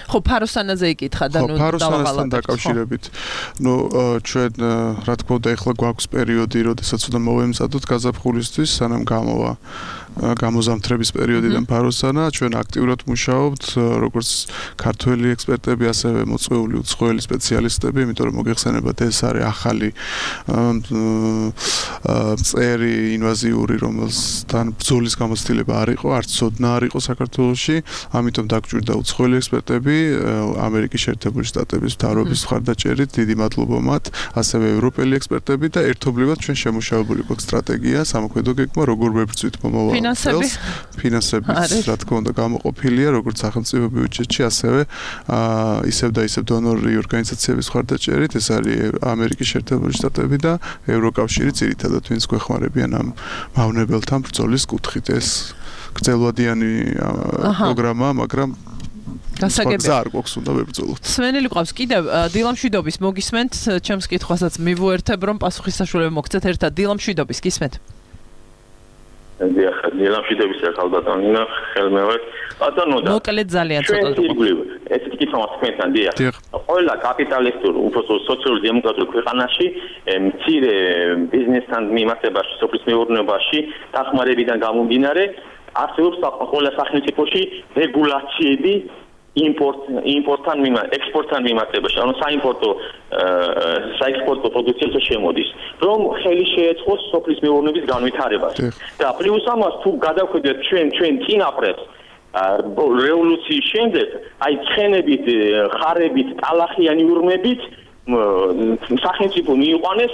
ხო ფაროსანაზე იკითხა და ნუ ფაროსანასთან დაკავშირებით. ნუ ჩვენ რა თქმა უნდა ეხლა გვაქვს პერიოდი, როდესაც უნდა მოვემზადოთ გაზაფხულისთვის, სანამ გამოვა გამოზამთრების პერიოდიდან ფაროსანა ჩვენ აქტიურად მუშაობთ როგორც ქართველი ექსპერტები, ასევე მოწვეული უცხოელი სპეციალისტები, იმიტომ რომ მოგეხსენებათ ეს არის ახალი წერი ინვაზიური, რომელსთან ბრძოლის გამოცდილება არ იყო, არც ცოდნა არ იყო საქართველოში, ამიტომ დაგჭირდა უცხოელი ექსპერტები, ამერიკის შეერთებული შტატების მთავრობის მხარდაჭერით, დიდი მადლობა მათ, ასევე ევროპელი ექსპერტები და ერთობლივად ჩვენ შემუშავებული გვაქვს სტრატეგია, სამოქმედო გეგმა, როგორ ვებრძვით მომავალ წელს. ფინანსების, რა თქმა უნდა, გამოყოფილია როგორც სახელმწიფო ბიუჯეტში, ასევე ისევ და ისევ დონორი ორგანიზაციების მხარდაჭერით, ეს არის ამერიკის შეერთებული შტატები და ევროკავშირი ძირითადად ვინც გვეხმარებიან ამ მავნებელთან ბრძოლის კუთხით. ეს გრძელვადიანი პროგრამა, მაგრამ გასაგებია არ გვაქვს უნდა ვებრძოლოთ. სვენელი ყავს კიდევ დილამშვიდობის მოგისმენთ, ჩემს კითხვასაც მივუერთებ რომ პასუხისსაშუალება მოგცეთ ერთად დილამშვიდობის გისმენთ. დილამშვიდობის ახალბატონო ხელმეორედ ბატონო და მოკლედ ძალიან ცოტა ეს კითხვა თქვენთან დიახ ყველა კაპიტალისტურ უფრო სოციალურ დემოკრატიულ ქვეყანაში მცირე ბიზნესთან მიმართებაში სოფლის მეურნეობაში დახმარებიდან გამომდინარე არსებობს ყველა სახელმწიფოში რეგულაციები იმპორტთან ექსპორტთან მიმართებაში, ანუ საექსპორტო პროდუქციაზე შემოდის, რომ ხელი შეეწყოს სოფლის მეურნეობის განვითარებას. და პლუს ამას თუ გადავხედეთ ჩვენ წინაპრებს რევოლუციის შემდეგ, აი ცხენებით, ხარებით, ტალახიანი ურმებით სახელმწიფო მიიყვანეს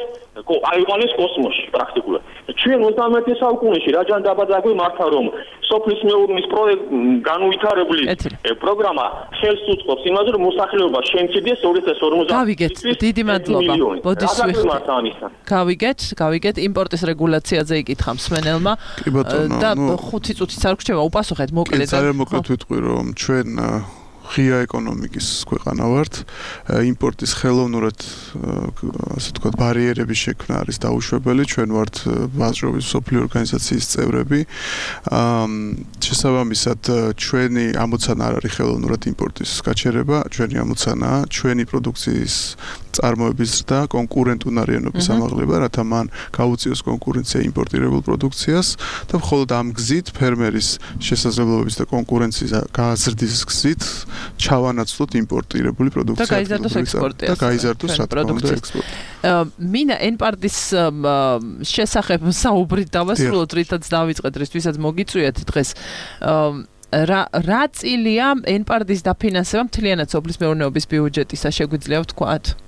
კოსმოსში პრაქტიკულად. ჩვენ 21 საუკუნეში რაჯან დაბადაგვი მართა რომ სოფლის მეურნეობის განვითარებული პროგრამა ხელს უწყობს იმაზე რომ მოსახლეობა შემცირდეს 2050. გავიგეთ, დიდი მადლობა. ბოდიშ გავიგეთ, იმპორტის რეგულაციაზე იკითხა მსმენელმა და 5 წუთიც არ გრჩება უპასუხეთ მოკლედ. ძალიან მოკლედ ვიტყვი რომ ჩვენ ღია ეკონომიკის ქვეყანა ვართ, იმპორტის ხელოვნურად, ასე ვთქვათ, ბარიერების შექმნა არის დაუშვებელი, ჩვენ ვართ ვაჭრობის მსოფლიო ორგანიზაციის წევრები. შესაბამისად, ჩვენი ამოცანა არ არის ხელოვნურად იმპორტის გაჩერება, ჩვენი ამოცანაა ჩვენი პროდუქციის წარმოების და კონკურენტუნარიანობის ამაღლება, რათა მან გაუწიოს კონკურენცია იმპორტირებულ პროდუქციას და მხოლოდ ამ გზით ფერმერის შესაძლებლობების და კონკურენციის გაზრდის გზით ჩავანაცვლოთ იმპორტირებული პროდუქცია და გაიზარდოს ექსპორტი. და გაიზარდოს რა თქმა უნდა ექსპორტი. მინა ენპარდის შესახებ საუბრით დავასრულოთ, რითაც დავიწყეთ, რისთვისაც მოგიწვიეთ დღეს. რა წილია ენპარდის დაფინანსება მთლიანად სოფლის მეურნეობის ბიუჯეტისა შეგვიძლია ვთქვათ?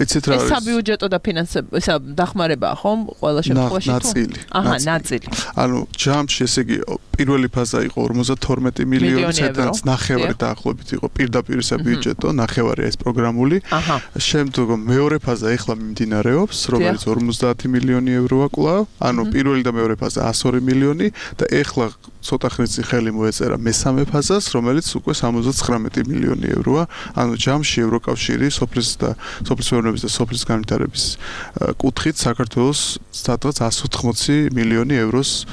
იცით რა არის? ეს საბიუჯეტო დაფინანსება, ისა დახმარებაა ხომ? ყველა შემთხვევაში ნაწილი. ნაწილი. ანუ ჯამში ესე იგი პირველი ფაზა იყო 52 მილიონი, სადაც ნახევარი დაახლოებით იყო პირდაპირ საბიუჯეტო, ნახევარი ეს პროგრამული. შემდგომ მეორე ფაზა ეხლა მიმდინარეობს, რომელიც 50 მილიონი ევროა კვლავ. ანუ პირველი და მეორე ფაზა 102 მილიონი და ეხლა ცოტა ხნის წინ ხელი მოეწერა მესამე ფაზას, რომელიც უკვე 79 მილიონი ევროა. ანუ ჯამში ევროკავშირი სოფლის მეურნეობის და სოფლის განვითარების კუთხით საქართველოს სადღაც 180 მილიონი ევროს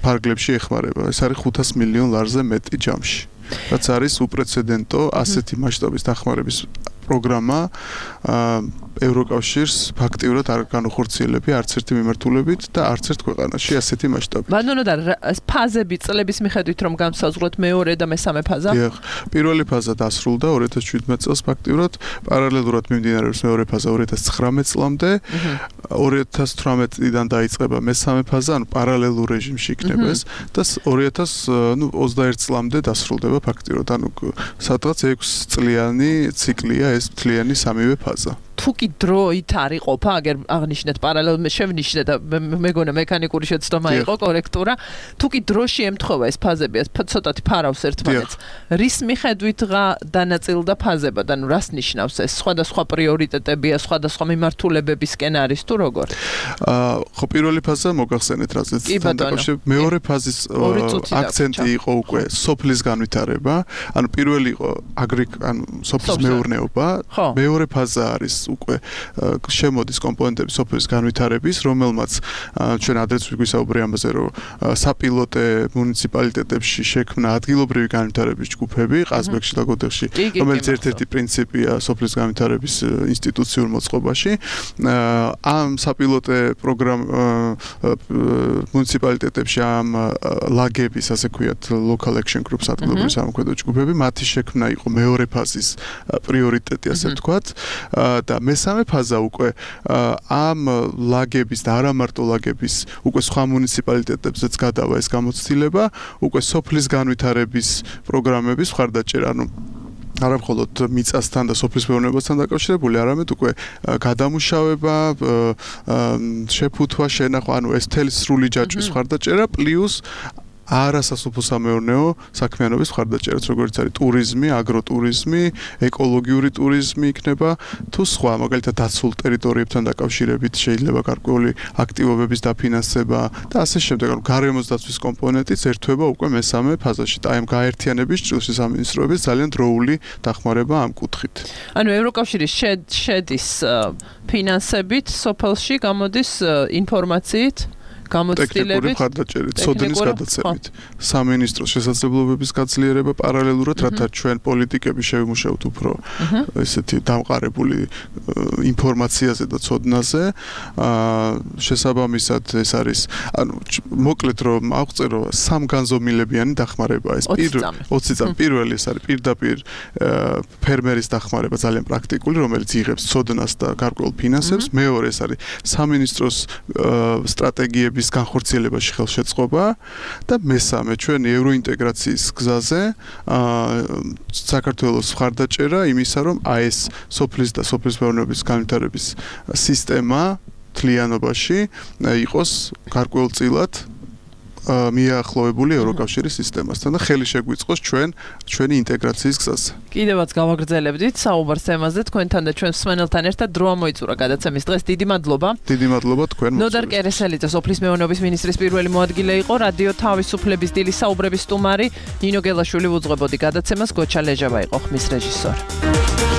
ფარგლებში ეხმარება. ეს არის 500 მილიონ ლარზე მეტი ჯამში. რაც არის უპრეცედენტო ასეთი მასშტაბის დახმარების პროგრამა ევროკავშირს ფაქტიურად არ განუხორციელებია არც ერთი მიმართულებით და არც ერთ ქვეყანაში ასეთი მასშტაბი. ბატონო და ფაზები წლების მიხედვით რომ განსაზღვროთ მეორე და მესამე ფაზა? დიახ, პირველი ფაზა დასრულდა 2017 წელს ფაქტიურად, პარალელურად მიმდინარეობს მეორე ფაზა 2019 წლამდე, 2018-დან დაიწყება მესამე ფაზა, ანუ პარალელურ რეჟიმში იქნება ეს და 2021 წლამდე დასრულდება ფაქტიურად, ანუ სადღაც 6 წლიანი ციკლია ეს მთლიანი სამივე ფაზა. თუკი დროით არ იყოფა, აგერ აღნიშნეთ პარალელურად შევნიშნე და მეგონა მექანიკური შეცდომა იყო კორექტურა, თუკი დროში ემთხვევა ეს ფაზები, ცოტათი ფარავს ერთმანეთს. რის მიხედვით დანაწილდა ფაზებად, ანუ რას ნიშნავს ეს? სხვადასხვა პრიორიტეტებია, სხვადასხვა მიმართულებებისკენ არის თუ როგორ? ხო, პირველი ფაზა მოგახსენეთ რაზეც დაკავშირებით. მეორე ფაზის აქცენტი იყო უკვე სოფლის განვითარება, ანუ პირველი იყო ანუ სოფლის მეურნეობა, მეორე ფაზა არის უკვე შემოდის კომპონენტები სოფლის განვითარების, რომელმაც ჩვენ ადრეც ვიგვისაუბრე ამაზე, რომ საპილოტე მუნიციპალიტეტებში შექმნა ადგილობრივი განვითარების ჯგუფები, ყაზბეგში და გოდეხში, რომელიც ერთ-ერთი პრინციპია სოფლის განვითარების ინსტიტუციურ მოწყობაში. ამ საპილოტე მუნიციპალიტეტებში ამ ლაგების, ასე ვქვიათ, local action groups ადგილობრივი სამოქმედო ჯგუფები, მათი შექმნა იყო მეორე ფაზის პრიორიტეტი, ასე ვთქვათ, და მესამე ფაზა უკვე ამ ლაგების და არა მარტო ლაგების უკვე სხვა მუნიციპალიტეტებზეც გადავა ეს გამოცდილება, უკვე სოფლის განვითარების პროგრამების მხარდაჭერა, ანუ არა მხოლოდ მიწასთან და სოფლის მეურნეობასთან დაკავშირებული, არამედ უკვე გადამუშავება, შეფუთვა, შენახვა, ანუ ეს მთელი სრული ჯაჭვის მხარდაჭერა პლუს არასასოფლო-სამეურნეო საქმიანობის მხარდაჭერაც, როგორც არის ტურიზმი, აგროტურიზმი, ეკოლოგიური ტურიზმი იქნება, თუ სხვა, მაგალითად დაცულ ტერიტორიებთან დაკავშირებით შეიძლება გარკვეული აქტივობების დაფინანსება და ასე შემდეგ, ანუ გარემოს დაცვის კომპონენტიც ერთვება უკვე მესამე ფაზაში. და ამ გაერთიანების ჭრილში სამინისტროების ძალიან დროული დახმარება ამ კუთხით. ანუ ევროკავშირის შედის ფინანსებით სოფელში გამოდის ინფორმაციით გამოცდილებით, მხარდაჭერით, სოდნის გადაცემით, სამინისტროს შესაძლებლობების გაძლიერება პარალელურად, რათა ჩვენ პოლიტიკები შევიმუშავოთ უფრო ესეთი დამყარებული ინფორმაციაზე და ცოდნაზე. შესაბამისად ეს არის, ანუ მოკლედ რომ აღწერო სამგანზომილებიანი დახმარება ეს 20 წამი. პირველი ეს არის პირდაპირ ფერმერის დახმარება ძალიან პრაქტიკული, რომელიც იღებს ცოდნას და გარკვეულ ფინანსებს. მეორე ეს არის სამინისტროს სტრატეგიები განხორციელებაში ხელშეწყობა და მესამე ჩვენი ევროინტეგრაციის გზაზე საქართველოს მხარდაჭერა იმისა, რომ ეს სოფლის და სოფლის მეურნეობის განვითარების სისტემა თლიანობაში იყოს გარკვეულწილად მიახლოვებული ევროკავშირის სისტემასთან და ხელი შეგვიწყოს ჩვენი ინტეგრაციის გზაზე. კიდევაც გავაგრძელებდით საუბარს თემაზე თქვენთან და ჩვენს მსმენელთან ერთად დრო ამოიწურა გადაცემის დღეს. დიდი მადლობა. დიდი მადლობა თქვენ. ნოდარ კერესელიძე სოფლის მეურნეობის მინისტრის პირველი მოადგილე იყო, რადიო თავისუფლების დილის საუბრების სტუმარი, ნინო გელაშვილი უძღვებოდი გადაცემას, გოჩა ლეჟავა იყო ხმის რეჟისორი.